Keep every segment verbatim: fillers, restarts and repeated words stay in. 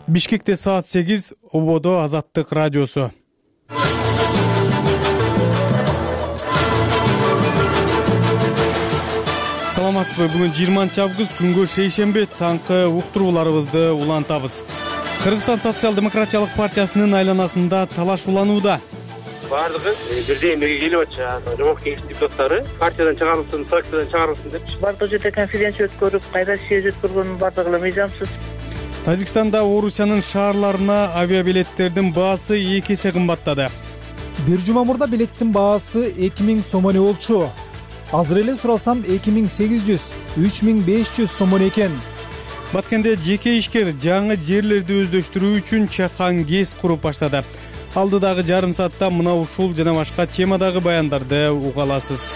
Бишкекте саат сегиз, Ободо Азаттык радиосу. Саламатсызбы? Бүгүн жыйырманчы август, күнгө шейшемби, таңкы уктурууларыбызды улантабыз. Кыргызстан социал-демократиялык партиясынын айланасында талаш уланууда. Бардыгы бирдей эмеге келип атышат. Жогорку кеңеш депутаттары партиядан чыгарылсын, фракциядан чыгарылсын деп. Бардык жерде конференция өткөрүп, кайра съезд өткөргөнүн бардыгы мыйзамсыз. Тажикстанда Орусиянын шаарларына авиабилеттердин баасы эки эсе кымбаттады. Бир жума мурда билеттин баасы эки миң сомон болчу. Азыр эле суралсам эки миң сегиз жүз, үч миң беш жүз сомон экен. Баткенде жеке ишкер жаңы жерлерди өздөштүрүү үчүн чакан ГЭС куруп баштады. Алдыдагы жарым саатта мына ушул жана башка темадагы баяндарды уга аласыз.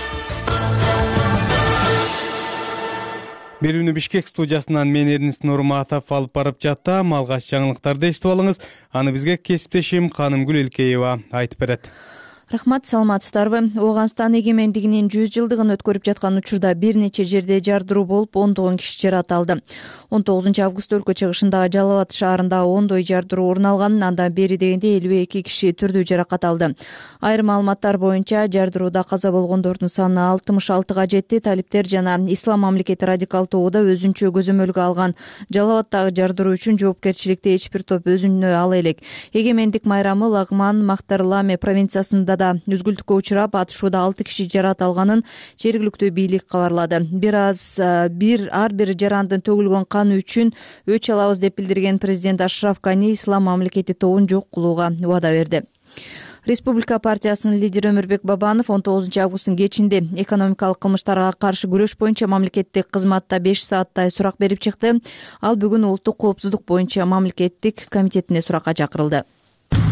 Берүүнү Бишкек студиясынан мен Эрнис Нурматов алып барып жаттам. Алгач жаңылыктарды эшитип алыңыз. Аны бизге кесиптешим Канымгүл Элкеева айтып берет. Рахмат, саламатсыздарбы? Ооганстан эгемендигинин жүз жылдыгын өткөрүп жаткан учурда бир нече жерде жардыруу болуп, ондогон киши жараталды. он тогузунчу август өлкө чыгышындагы Жалал Абад шаарында ондой жардыруу орун алган. Андан бери дегенде элүү эки киши түрдүү жаракат алды. Айрым маалыматтар боюнча жардырууда каза болгондордун саны алтымыш алтыга жетти. Талиптер жана Ислам мамлекети радикал тобу өзүнчө көзөмөлгө алган Жалал Абаддагы жардыруу үчүн жоопкерчиликти эч бир топ өзүнө ала элек. Эгемендик майрамы Лагман Мактарламе провинциясында да үзгүлтүккө учурап, атышууда алты киши жаракат алганын жергиликтүү бийлик кабарлады. Бир аз бир ар бир жарандын төгүлгөн каны үчүн өч алабыз деп билдирген президент Ашраф Гани Ислам мамлекети тобун жок кылууга убада берди. Республика партиясынын лидери Өмүрбек Бабанов он тогузунчу августтун кечинде экономикалык кылмыштарга каршы күрөш боюнча мамлекеттик кызматта беш сааттай сурак берип чыкты. Ал бүгүн улуттук коопсуздук боюнча мамлекеттик комитетине суракка чакырылды.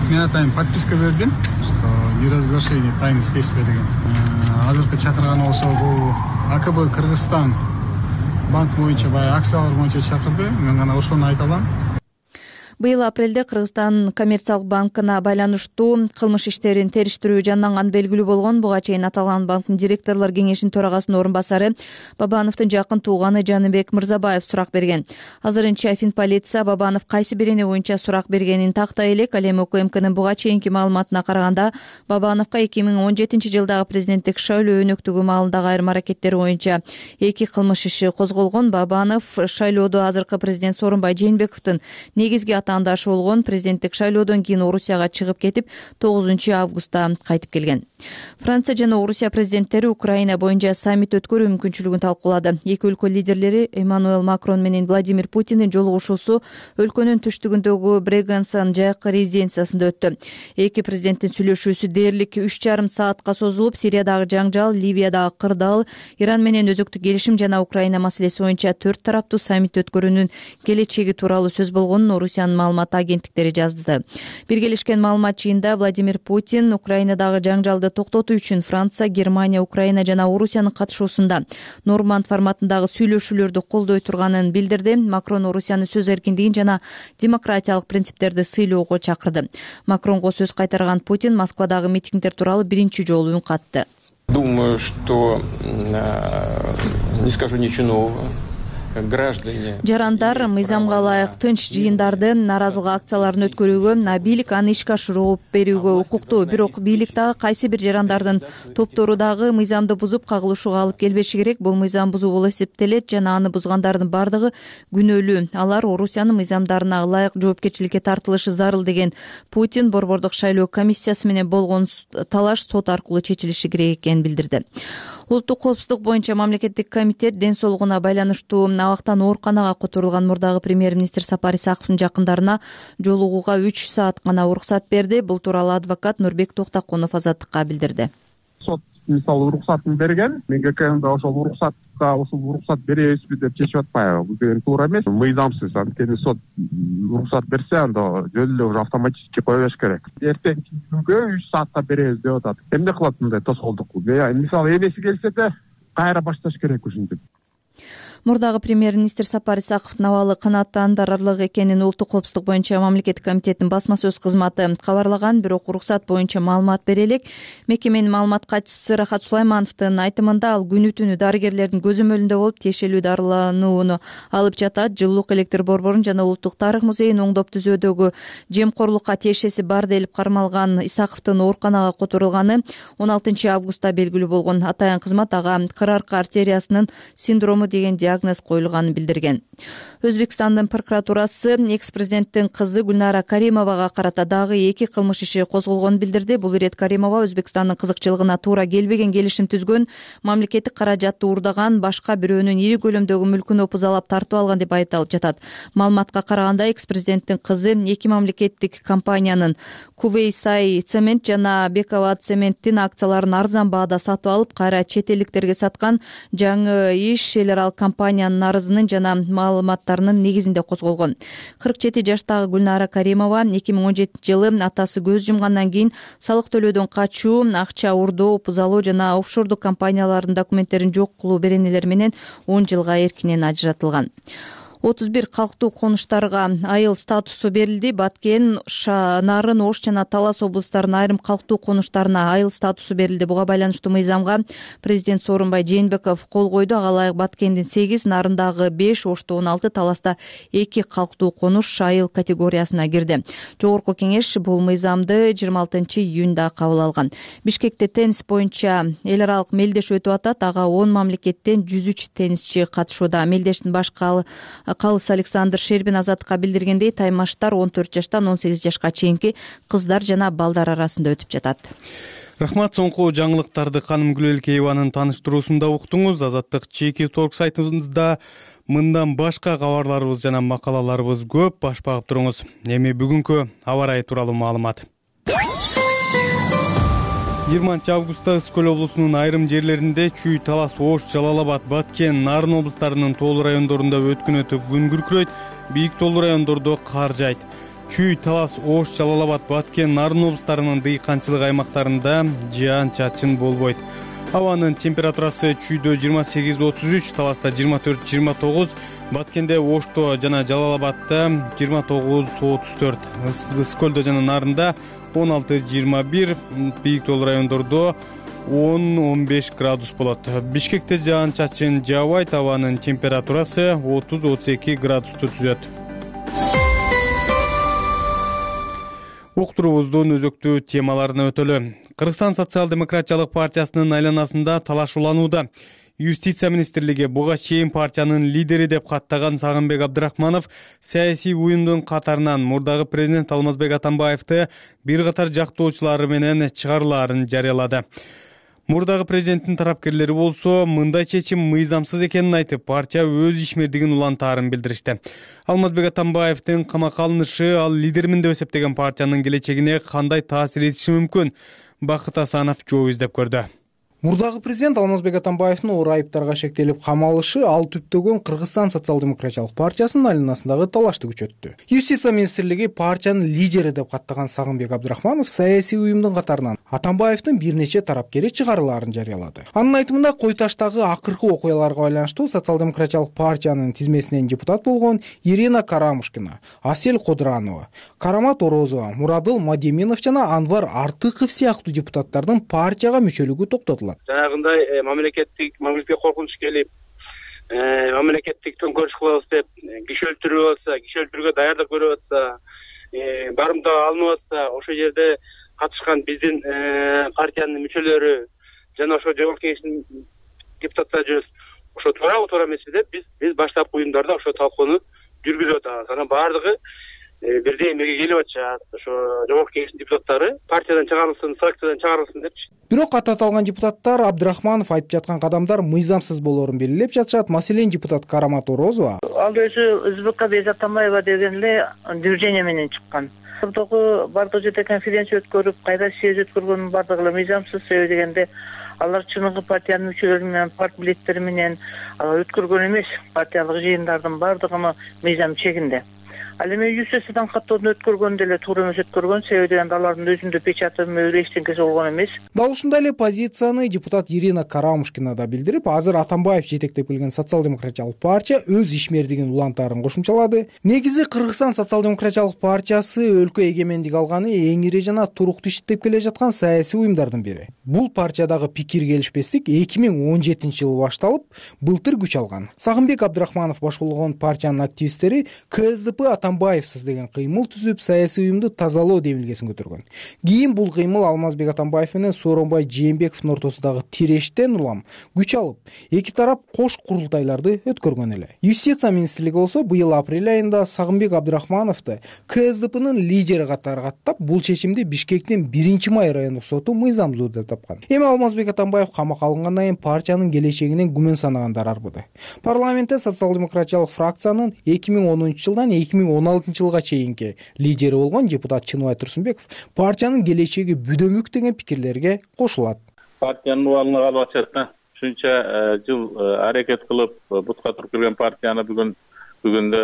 Мен атайын подписка бердим, что неразглашение тайны следствия деген. Азыркы чакырганы болсо бул АКБ Кыргызстан банк боюнча баягы акциялар боюнча чакырды. Мен гана ошону айта алам. Быйыл апрелде Кыргызстан коммерциялык банкына байланыштуу кылмыш иштерин териштирүү жанданганы белгилүү болгон. Буга чейин аталган банктын директорлор кеңешинин төрагасынын орун басары Бабановдун жакын тууганы Жаныбек Мырзабаев сурак берген. Азырынча Финполиция Бабанов кайсы бирини боюнча сурак бергенин тактай элек. Ал эми УКМКнын буга чейинки маалыматына караганда Бабановго эки миң он жетинчи жылдагы президенттик шайлоо өнөктүгү маалындагы айрым аракеттери боюнча эки кылмыш иши козголгон. Бабанов шайлоодо азыркы президент Сооронбай Жээнбековдун негизги атаандашы болгон. Президенттик шайлоодон кийин Орусияга чыгып кетип, тогузунчу августта кайтып келген. Франция жана Орусия президенттери Украина боюнча саммит өткөрүү мүмкүнчүлүгүн талкуулады. Эки өлкө лидерлери Эммануэл Макрон менен Владимир Путиндин жолугушуусу өлкөнүн түштүгүндөгү Брегенсан жайкы резиденциясында өттү. Эки президенттин сүйлөшүүсү дээрлик үч жарым саатка созулуп, Сириядагы жаңжал, Ливиядагы кырдаал, Иран менен өзөктүк келишим жана Украина маселеси боюнча төрт тараптуу саммит өткөрүүнүн келечеги тууралуу сөз болгонун Орусиянын маалымат агенттиктери жазды. Биргелешкен маалымат жыйында Владимир Путин Украинадагы жаңжалды токтотуу үчүн Франция, Германия, Украина жана Орусиянын катышуусунда Норманд форматындагы сүйлөшүүлөрдү колдой турганын билдирди. Макрон Орусияны сөз эркиндигин жана демократиялык принциптерди сыйлоого чакырды. Макронго сөз кайтарган Путин Москвадагы митингдер тууралуу биринчи жолу үн катты. Думаю, что не скажу ничего нового. Жарандар мыйзамга ылайык тынч жыйындарды, нааразылык акцияларын өткөрүүгө, бийлик аны ишке ашырып берүүгө укуктуу. Бирок бийлик дагы кайсы бир жарандардын топтору дагы мыйзамды бузуп кагылышууга алып келбеши керек. Бул мыйзам бузуу болуп эсептелет жана аны бузгандардын бардыгы күнөөлүү. Алар Орусиянын мыйзамдарына ылайык жоопкерчиликке тартылышы зарыл деген Путин борбордук шайлоо комиссиясы менен болгон талаш сот аркылуу чечилиши керек экенин билдирди. Улуттук коопсуздук боюнча мамлекеттик комитет ден соолугуна байланыштуу абактан ооруканага которулган мурдагы премьер-министр Сапар Исаковдун жакындарына жолугууга үч саат гана уруксат берди. Бул тууралуу адвокат Нурбек Токтокунов Азаттыкка билдирди. Сот мисалы уруксатын берген, мен ГКМда ошол уруксатка ушул уруксат беребизби деп чечип атпайбы? Бул деген туура эмес. Мыйзамсыз. Анткени сот уруксат берсе, анда жөн эле уже автоматически кое бериш керек. Эртеңки күнгө үч саатка беребиз деп атат. Эмне кылат мындай тоскоолдук? Мисалы эмеси келсе да кайра башташ керек ушинтип. Мурдагы премьер-министр Сапар Исаковдун абалы канааттандырарлык экенин Улуттук коопсуздук боюнча мамлекеттик комитеттин басма сөз кызматы кабарлаган, бирок уруксат боюнча маалымат бере элек. Мекеменин маалымат катчысы Рахат Сулаймановдун айтымында ал күнү түнү дарыгерлердин көзөмөлүндө болуп тиешелүү дарыланууну алып жатат. Жылуулук электр борборун жана Улуттук тарых музейин оңдоп түзүүдөгү жемкорлукка тиешеси бар делип кармалган Исаковдун ооруканага которулганы он алтынчы августта белгилүү болгон. Атайын кызмат ага кыр арка артериясынын синдрому деген диагноз коюлганын билдирген. Өзбекстандын прокуратурасы экс-президенттин кызы Гүлнара Каримовага карата дагы эки кылмыш иши козголгонун билдирди. Бул ирет Каримова Өзбекстандын кызыкчылыгына туура келбеген келишим түзгөн, мамлекеттик каражатты уурдаган, башка бирөөнүн ири көлөмдөгү мүлкүн опузалап тартып алган деп айыпталып жатат. Маалыматка караганда экс-президенттин кызы эки мамлекеттик компаниянын Кувейсай цемент жана Бекова цементтин акцияларын арзан баада сатып алып, кайра чет элдиктерге саткан. Жаңы иш эл аралык компаниянын арызынын жана маалыматтарынын негизинде козголгон. кырк жети жаштагы Гүлнара Каримова эки миң он жетинчи жылы атасы көз жумгандан кийин салык төлөөдөн качуу, акча уурдоо, опузалоо жана офшордук компаниялардын документтерин жок кылуу беренелери менен он жылга эркинен ажыратылган. отуз бир калктуу конуштарга айыл статусу берилди. Баткен, Нарын, Ош жана Талас облустарынын айрым калктуу конуштарына айыл статусу берилди. Буга байланыштуу мыйзамга президент Сооронбай Жээнбеков кол койду. Ага ылайык Баткендин сегиз, Нарындагы беш, Ошто он алты, Таласта эки калктуу конуш айыл категориясына кирди. Жогорку кеңеш бул мыйзамды жыйырма алтынчы июнда кабыл алган. Бишкекте теннис боюнча эл аралык мелдеш өтүп атат. Ага он мамлекеттен жүз үч теннисчи катышууда. Мелдештин башкы Калыс Александр Шербин Азаттыкка билдиргендей, таймаштар он төрт жаштан он сегиз жашка чейинки кыздар жана балдар арасында өтүп жатат. Рахмат, соңку жаңылыктарды Каным Гүлөлкееванын таныштыруусунда уктуңуз. Азаттык чеки торг сайтыбызда мындан башка кабарларыбыз жана макалаларыбыз көп. Баш багып туруңуз. Эми бүгүнкү аба ырайы тууралуу маалымат. жыйырманчы августта Ысык көл облусунун айрым жерлеринде Чүй, Талас, Ош, Жалал Абад, Баткен, Нарын облустарынын тоолуу райондорунда өткүнөтүп күн күркүрөйт, бийик тоолуу райондордо кар жайт. Чүй, Талас, Ош, Жалал Абад, Баткен, Нарын облустарынын дыйканчылык аймактарында жаан-чачын болбойт. Абанын температурасы Чүйдө жыйырма сегиз отуз үч, Таласта жыйырма төрт жыйырма тогуз, Баткенде, Ошто жана Жалал Абадта жыйырма тогуз отуз төрт, Ысык көлдө жана Нарында он алты жыйырма бир, бийик тоолуу райондордо он он беш градус болот. Бишкекте жаан-чачын жаабайт, абанын температурасы отуз отуз эки градусту түзөт. Уктуруубуздун өзөктүү темаларына өтөлү. Кыргызстан социал-демократиялык партиясынын айланасында талаш уланууда. Юстиция министрлиги буга чейин партиянын лидери деп каттаган Сагынбек Абдрахманов саясий уюмдун катарынан мурдагы президент Алмазбек Атамбаевди бир катар жактоочулары менен чыгарылаарын жарыялады. Мурдагы президенттин тарапкерлери болсо мындай чечим мыйзамсыз экенин айтып, партия өз ишмердигин улантаарын билдиришти. Алмазбек Атамбаевдин камакка алынышы ал лидермин деп эсептеген партиянын келечегине кандай таасир этиши мүмкүн? Бакыт Асанов жол издеп көрдү. Мурдагы президент Алмазбек Атамбаевдин оор айыптарга шектелип камалышы ал түптөгөн Кыргызстан социал-демократиялык партиясынын айланасындагы талашты күчөттү. Юстиция министрлиги партиянын лидери деп каттаган Сагынбек Абдрахманов саясий уюмдун катарынан Атамбаевдин бир нече тарапкери чыгарылаарын жарыялады. Анын айтымында Кой Таштагы акыркы окуяларга байланыштуу социал-демократиялык партиянын тизмесинен депутат болгон Ирина Карамушкина, Асель Кодранова, Карамат Орозова, Мурадыл Мадеминов жана Анвар Артыков сыяктуу депутаттардын партияга мүчөлүгү токтотулат. Жанагындай мамлекеттик мамлекетке коркунуч келип, мамлекеттик төңкөрүш кылабыз деп киши өлтүрүп атса, киши өлтүрүүгө даярдык көрүп атса, барымтага алынып атса, ошол жерде катышкан биздин партиянын мүчөлөрү жана ошо жогорку кеңештин депутаттары жүрөбүз. Ошо туурабы, туура эмеспи деп биз биз баштапкы уюмдарда ошо талкууну жүргүзүп атабыз. Анан баардыгы бирдей эмеге келип атышат. Ошо жогорку кеңештин депутаттары партиядан чыгарылсын, фракциядан чыгарылсын депчи. Бирок кат аталган депутаттар Абдрахманов айтып жаткан кадамдар мыйзамсыз болоорун белгилеп жатышат. Маселен, депутат Карамат Орозова ал өзү Өзбекка Бейзат Атамбаева деген эле движение менен чыккан. Мурдагы бардык жерде конференция өткөрүп, кайда съезд өткөргөнүн бардыгы эле мыйзамсыз. Себеби дегенде алар чыныгы партиянын мүчөлөрү менен, парт билеттери менен алар өткөргөн эмес. Партиялык жыйындардын бардыгы мыйзам чегинде. Ал эми юстициядан каттоодон өткөргөн деле туура эмес өткөргөн, себеби дегенде алардын өзүндө печаты мөйрө эчтеңкеси болгон эмес. Дал ушундай эле позицияны депутат Ирина Карамушкина да билдирип, азыр Атамбаев жетектеп келген социал-демократиялык партия өз ишмердигин улантаарын кошумчалады. Негизи Кыргызстан социал-демократиялык партиясы өлкө эгемендик алганы эң ири жана туруктуу иштеп келе жаткан саясий уюмдардын бири. Бул партиядагы пикир келишпестик эки миң он жетинчи жылы башталып, былтыр күч алган. Сагынбек Абдрахманов башкарган партиянын активисттери КСДП Атамбаевсиз деген кыймыл түзүп, саясий уюмду тазалоо демилгесин көтөргөн. Кийин бул кыймыл Алмазбек Атамбаев менен Сооронбай Жээнбековдун ортосундагы тирештен улам күч алып, эки тарап кош курултайларды өткөргөн эле. Юстиция министрлиги болсо быйыл апрель айында Сагынбек Абдрахмановду КСДПнын лидери катары каттап, бул чечимди Бишкектин биринчи май райондук соту мыйзамдуу деп тапкан. Эми Алмазбек Атамбаев камакка алынгандан кийин партиянын келечегинен күмөн санагандар арбыды. Парламентте социал-демократиялык фракциянын эки миң онунчу жылдан эки миң он алтынчы жылга чейинки лидери болгон депутат Чыныбай Турсунбеков партиянын келечеги бүдөмүк деген пикирлерге кошулат. Партиянын убалына калып атышат да. Ушунча жыл аракет кылып бутка туруп келген партияны бүгүн бүгүндө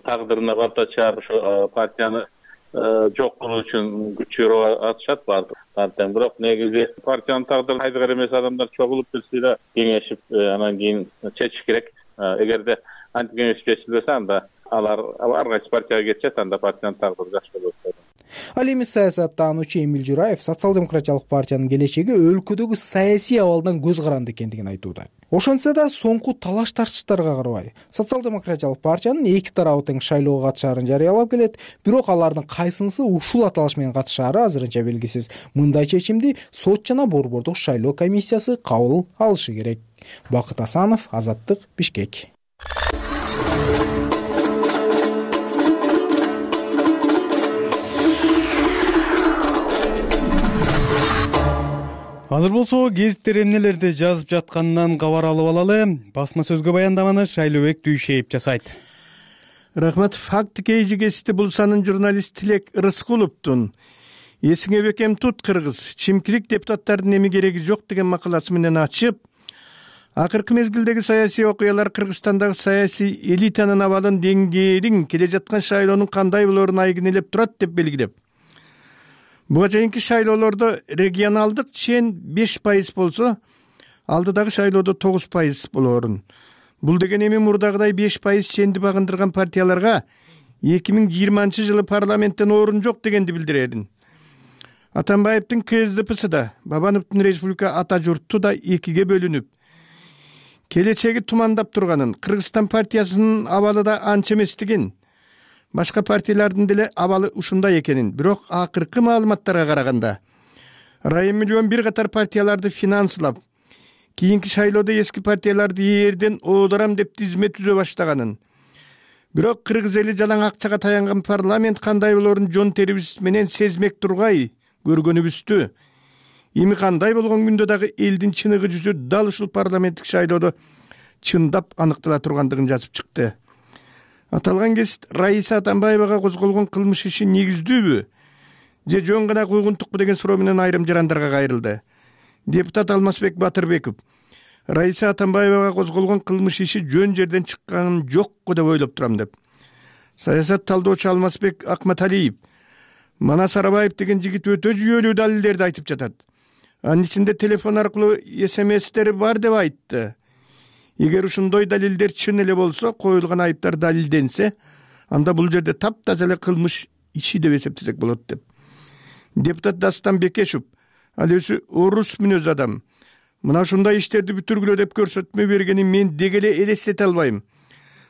тагдырына балта чыгарып ошо партияны жок кылуу үчүн күч чыгарып атышат баардык партияны. Бирок негизи партиянын тагдырын кайдыгар эмес адамдар чогулуп келсе да кеңешип, анан кийин чечиш керек. Эгерде антип кеңешип чечилбесе, анда алар ар кайсы партияга кетишет, анда партиянын тагдыры жакшы болот. Ал эми саясаттануучу Эмил Жураев социал-демократиялык партиянын келечеги өлкөдөгү саясий абалдан көз каранды экендигин айтууда. Ошентсе да соңку талаш тартыштарга карабай, социал-демократиялык партиянын эки тарабы тең шайлоого катышаарын жарыялап келет, бирок алардын кайсынысы ушул аталыш менен катышаары азырынча белгисиз. Мындай чечимди сот жана борбордук шайлоо комиссиясы кабыл алышы керек. Бакыт Асанов, Азаттык, Бишкек. Азыр болсо гезиттер эмнелерди жазып жатканынан кабар алып алалы. Басма сөзгө баяндаманы Шайлообек Дүйшеев жасайт. Рахмат. Факт кейжи кести булсанын журналист Тилек Рыскуловдун «Эсиңе бекем тут, кыргыз, чимкирик депутаттардын эми кереги жок» деген макаласы менен ачып, акыркы мезгилдеги саясий окуялар Кыргызстандагы саясий элитанын абалын, деңгээлин, келе жаткан шайлоонун кандай болоорун айгинелеп турат деп белгилеп, буга чейинки шайлоолордо регионалдык чен беш пайыз болсо, алдыдагы шайлоодо тогуз пайыз болоорун. Бул деген эми мурдагыдай беш пайыз ченди багындырган партияларга эки миң жыйырманчы жылы парламенттен орун жок дегенди билдирерин. Атамбаевдин КСДПсы да, Бабановдун республика ата журту да экиге бөлүнүп, келечеги тумандап турганын, Кыргызстан партиясынын абалы да анча эместигин, башка партиялардын деле абалы ушундай экенин, бирок акыркы маалыматтарга караганда Райым миллион бир катар партияларды финанслап, кийинки шайлоодо эски партияларды эрден оодорам деп тизме түзө баштаганын, бирок кыргыз эли жалаң акчага таянган парламент кандай болоорун жон терибиз менен сезмек тургай көргөнүбүздү. Эми кандай болгон күндө дагы элдин чыныгы жүзү дал ушул парламенттик шайлоодо чындап аныктала тургандыгын жазып чыкты. Аталган кесит Раиса Атамбаевага козголгон кылмыш иши негиздүүбү же жөн гана куйгунтукпу деген суроо менен айрым жарандарга кайрылды. Депутат Алмазбек Батырбеков Раиса Атамбаевага козголгон кылмыш иши жөн жерден чыкканын жокко деп ойлоп турам деп. Саясат талдоочу Алмазбек Акматалиев Манас Арабаев деген жигит өтө жүйөлүү далилдерди айтып жатат. Анын ичинде телефон аркылуу смстери бар деп айтты. Эгер ушундой далилдер чын эле болсо, коюлган айыптар далилденсе, анда бул жерде таптаза эле кылмыш иши деп эсептесек болот деп. Депутат Дастан Бекешев ал өзү орус мүнөз адам. Мына ушундай иштерди бүтүргүлө деп көрсөтмө бергенин мен деги эле элестете албайм.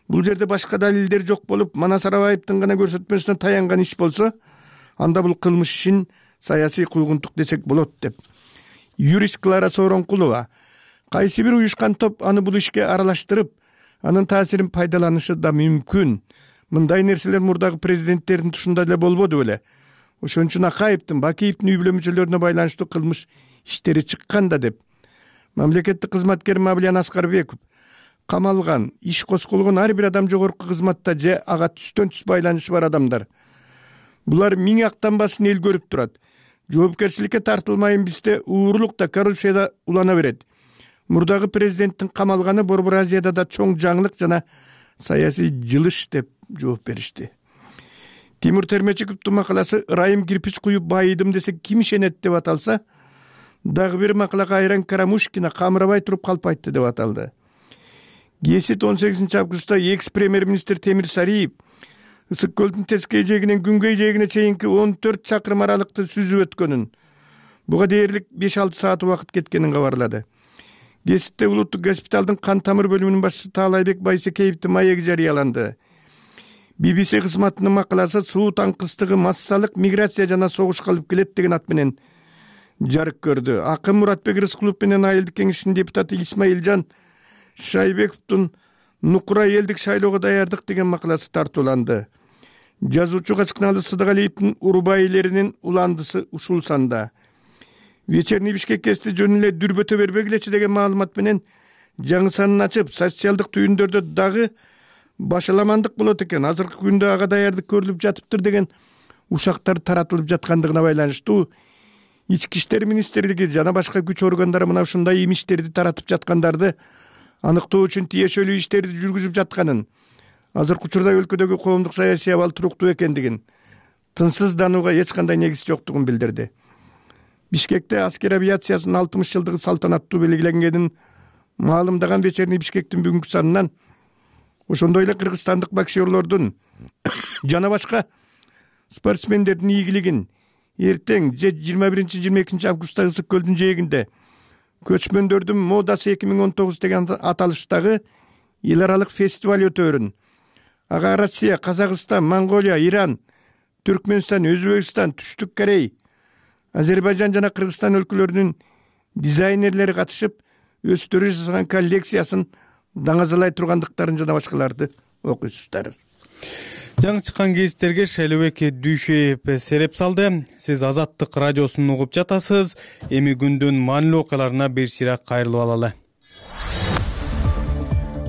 Бул жерде башка далилдер жок болуп, Манас Арабаевдин гана көрсөтмөсүнө таянган иш болсо, анда бул кылмыш ишин саясий куйгунтук десек болот деп. Юрист Клара Сооронкулова кайсы бир уюшкан топ аны бул ишке аралаштырып, анын таасирин пайдаланышы да мүмкүн. Мындай нерселер мурдагы президенттердин тушунда эле болбоду беле. Ошон үчүн Акаевдин, Бакиевдин үй бүлө мүчөлөрүнө байланыштуу кылмыш иштери чыккан да деп. Мамлекеттик кызматкер Мавлиян Аскарбеков камалган, иш козголгон ар бир адам жогорку кызматта же ага түстөн түз байланышы бар адамдар. Булар миң актанбасын эл көрүп турат. Жоопкерчиликке тартылмайын бизде уурулук да, коррупция да улана берет. Мурдагы президенттин камалганы Борбор Азияда да чоң жаңылык жана саясий жылыш деп жооп беришти. Тимур Термечиковдун макаласы «Ырайым кирпич куюп байыдым десе ким ишенет» деп аталса, дагы бир макалага Айран Карамушкина камырабай туруп калпайтты деп аталды. Гесит он сегизинчи августта экс премьер-министр Темир Сариев Ысык көлдүн тескей жээгинен күнгөй жээгине чейинки он төрт чакырым аралыкты сүзүп өткөнүн, буга дээрлик беш алты саат убакыт кеткенин кабарлады. Геситте улуттук госпиталдын кан тамыр бөлүмүнүн башчысы Таалайбек Байсекеевдин маеги жарыяланды. би би си кызматынын макаласы суу таңкыстыгы массалык миграция жана согушка алып келет деген ат менен жарык көрдү. Акын Муратбек Рыскулов менен Айылдык кеңешинин депутаты Исмаилжан Шайбековдун Нукура элдик шайлоого даярдык деген макаласы тартууланды. Жазуучу Качкыналы Сыдыгалиевдин урубайлеринин уландысы ушул санда. Вечерний Бишкек кести жөн эле дүрбөтө бербегилечи деген маалымат менен жаңы санын ачып, социалдык түйүндөрдө дагы башаламандык болот экен. Азыркы күндө ага даярдык көрүлүп жатыптыр деген ушактар таратылып жаткандыгына байланыштуу Ички иштер министрлиги жана башка күч органдары мына ушундай имиштерди таратып жаткандарды аныктоо үчүн тиешелүү иштерди жүргүзүп жатканын, азыркы учурда өлкөдөгү коомдук саясий абал туруктуу экендигин, тынчсызданууга эч кандай негиз жоктугун билдирди. Бишкекте аскер авиациясынын алтымыш жылдыгы салтанаттуу белгиленгенин маалымдаган Вечерний Бишкектин бүгүнкү санынан ошондой эле кыргызстандык боксерлордун жана башка спортсмендердин ийгилигин эртең же жыйырма биринчи жыйырма экинчи августта Ысык көлдүн жээгинде көчмөндөрдүн модасы эки миң он тогуз деген аталыштагы эл аралык фестиваль өтөөрүн, ага Россия, Казакстан, Монголия, Иран, Түркмөнстан, Өзбекстан, Түштүк Корей, Азербайжан жана Кыргызстан өлкөлөрүнүн дизайнерлери катышып, өздөрү жасаган коллекциясын даңазалай тургандыктарын жана башкаларды окуйсуздар. Жаңы чыккан гезиттерге Шайлообек Дүйшөев сереп салды. Сиз Азаттык радиосун угуп жатасыз. Эми күндүн маанилүү окуяларына бир сыйраак кайрылып алалы.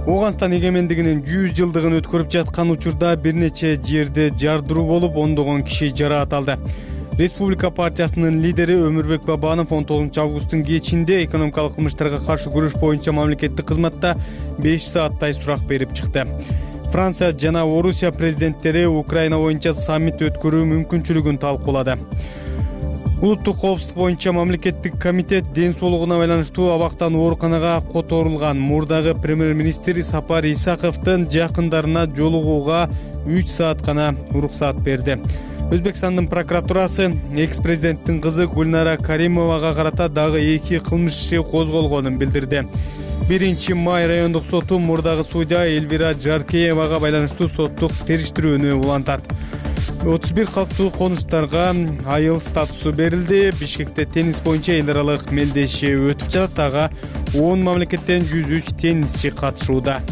Ооганстан эгемендигинин жүз жылдыгын өткөрүп жаткан учурда бир нече жерде жардыруу болуп, ондогон киши жараат алды. Республика партиясынын лидери Өмүрбек Бабанов он тогузунчу августтун кечинде экономикалык кылмыштарга каршы күрөш боюнча мамлекеттик кызматта беш сааттай сурак берип чыкты. Франция жана Орусия президенттери Украина боюнча саммит өткөрүү мүмкүнчүлүгүн талкуулады. Улуттук коопсуздук боюнча мамлекеттик комитет ден соолугуна байланыштуу абактан ооруканага которулган мурдагы премьер-министр Сапар Исаковдун жакындарына жолугууга үч саат гана уруксаат берди. Өзбекстандын прокуратурасы экс-президенттин кызы Гүлнара Каримовага карата дагы эки кылмыш иши козголгонун билдирди. биринчи май райондук соту мурдагы судья Эльвира Жаркеевага байланыштуу соттук териштирүүнү улантат. отуз бир калктуу конуштарга айыл статусу берилди. Бишкекте теннис боюнча эл аралык мелдеши өтүп жатат. Ага он мамлекеттен жүз үч теннисчи катышууда.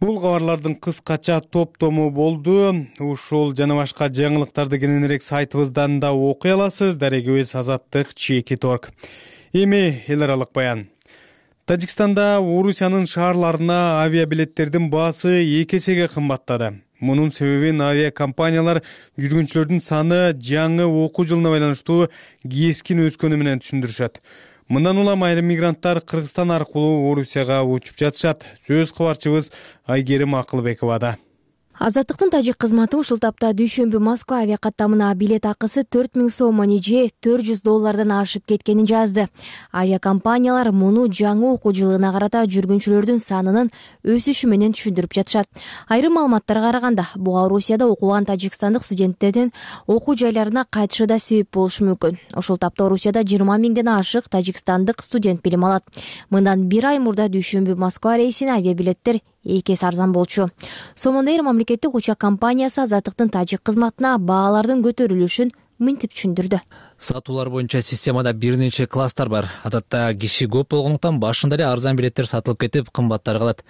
Бул кабарлардын кыскача топтому болду. Ушул жана башка жаңылыктарды кененирээк сайтыбыздан да окуй аласыз. Дарегибиз Азаттык чеки торг. Эми эл аралык баян. Тажикстанда Орусиянын шаарларына авиабилеттердин баасы эки эсеге кымбаттады. Мунун себебин авиакомпаниялар жүргүнчүлөрдүн саны жаңы окуу жылына байланыштуу кескин өскөнү менен түшүндүрүшөт. Мындан улам айрым мигранттар Кыргызстан аркылуу Орусияга учуп жатышат. Сөз кабарчыбыз Айгерим Акылбековада. Азаттыктын тажик кызматы ушул тапта дүйшөмбү Москва авиакаттамына билет акысы төрт миң сомон же төрт жүз доллардан ашып кеткенин жазды. Авиакомпаниялар муну жаңы окуу жылына карата жүргүнчүлөрдүн санынын өсүшү менен түшүндүрүп жатышат. Айрым маалыматтарга караганда, буга Орусияда окуган тажикстандык студенттердин окуу жайларына кайтышы да себеп болушу мүмкүн. Ушул тапта Орусияда жыйырма миңден ашык тажикстандык студент билим алат. Мындан бир ай мурда дүйшөмбү Москва рейсине авиабилеттер эки эсе арзан болчу. Сомондейр мамлекеттик учак компаниясы Азаттыктын тажик кызматына баалардын көтөрүлүшүн мынтип түшүндүрдү. Сатуулар боюнча системада бир нече класстар бар. Адатта киши көп болгондуктан башында эле арзан билеттер сатылып кетип, кымбаттар калат.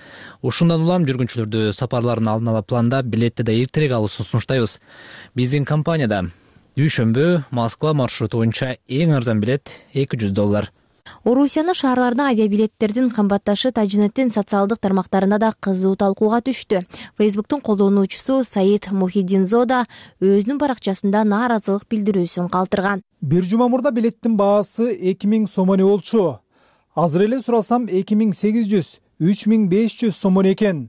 Ушундан улам жүргүнчүлөрдү сапарларын алдын ала пландап, билетти да эртерээк алуусун сунуштайбыз. Биздин компанияда дүйшөмбү Москва маршруту боюнча эң арзан билет эки жүз доллар. Орусиянын шаарларына авиабилеттердин кымбатташы Тажинеттин социалдык тармактарында да кызуу талкууга түштү. Фейсбуктун колдонуучусу Саид Мухиддинзода өзүнүн баракчасында нааразылык билдирүүсүн калтырган. Бир жума мурда билеттин баасы эки миң сомоне болчу. Азыр эле сурасам эки миң сегиз жүз үч миң беш жүз сомон экен.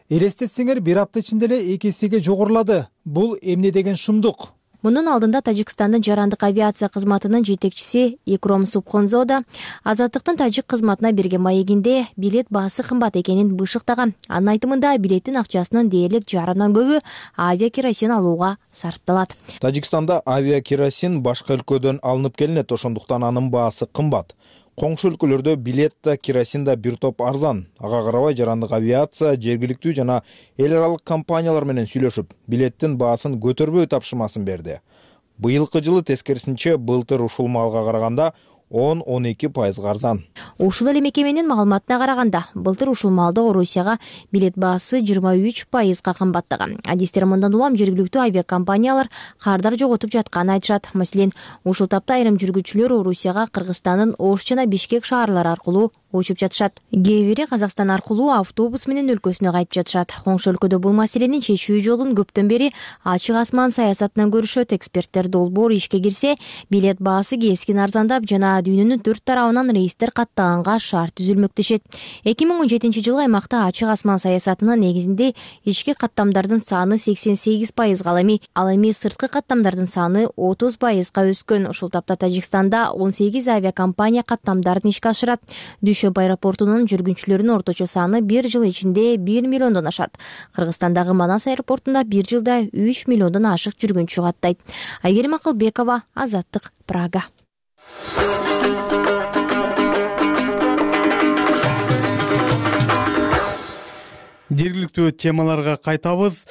Элестетсеңер, бир апта ичинде эле эки эсеге жогорулады. Бул эмне деген шумдук? Мунун алдында Тажикстандын жарандык авиация кызматынын жетекчиси Икром Субхонзо да Азаттыктын тажик кызматына берген маегинде билет баасы кымбат экенин бышыктаган. Анын айтымында билеттин акчасынын дээрлик жарымдан көбү авиакеросин алууга сарпталат. Тажикстанда авиакеросин башка өлкөдөн алынып келинет, ошондуктан анын баасы кымбат. Коңшу өлкөлөрдө билет да, керосин да бир топ арзан. Ага карабай жарандык авиация жергиликтүү жана эл аралык компаниялар менен сүйлөшүп, билеттин баасын көтөрбөй тапшырмасын берди. Быйылкы жылы тескерисинче былтыр ушул маалга караганда он он эки пайызга арзан. Ушул эле мекеменин маалыматына караганда, былтыр ушул маалда Орусияга билет баасы жыйырма үч пайызга кымбаттаган. Адистер мындан улам жергиликтүү авиакомпаниялар кардар жоготуп жатканын айтышат. Маселен, ушул тапта айрым жүргүчүлөр Орусияга Кыргызстандын Ош жана Бишкек шаарлары аркылуу учуп жатышат. Кээ бири Казакстан аркылуу автобус менен өлкөсүнө кайтып жатышат. Коңшу өлкөдө бул маселени чечүү жолун көптөн бери ачык асман саясатынан көрүшөт. Эксперттер долбоор ишке кирсе, билет баасы кескин арзандап жана дүйнөнүн төрт тарабынан рейстер каттаганга шарт түзүлмөк дешет. эки миң он жетинчи жылы аймакта ачык асман саясатынын негизинде ички каттамдардын саны сексен сегиз пайызга, ал эми ал эми сырткы каттамдардын саны отуз пайызга өскөн. Ушул тапта Тажикстанда он сегиз авиакомпания каттамдарын ишке ашырат. Дүйшөмбү аэропортунун жүргүнчүлөрүнүн орточо саны бир жыл ичинде бир миллиондон ашат. Кыргызстандагы Манас аэропортунда бир жылда үч миллиондон ашык жүргүнчү каттайт. Айгерим Акылбекова, Азаттык, Прага. Жергиликтүү темаларга кайтабыз.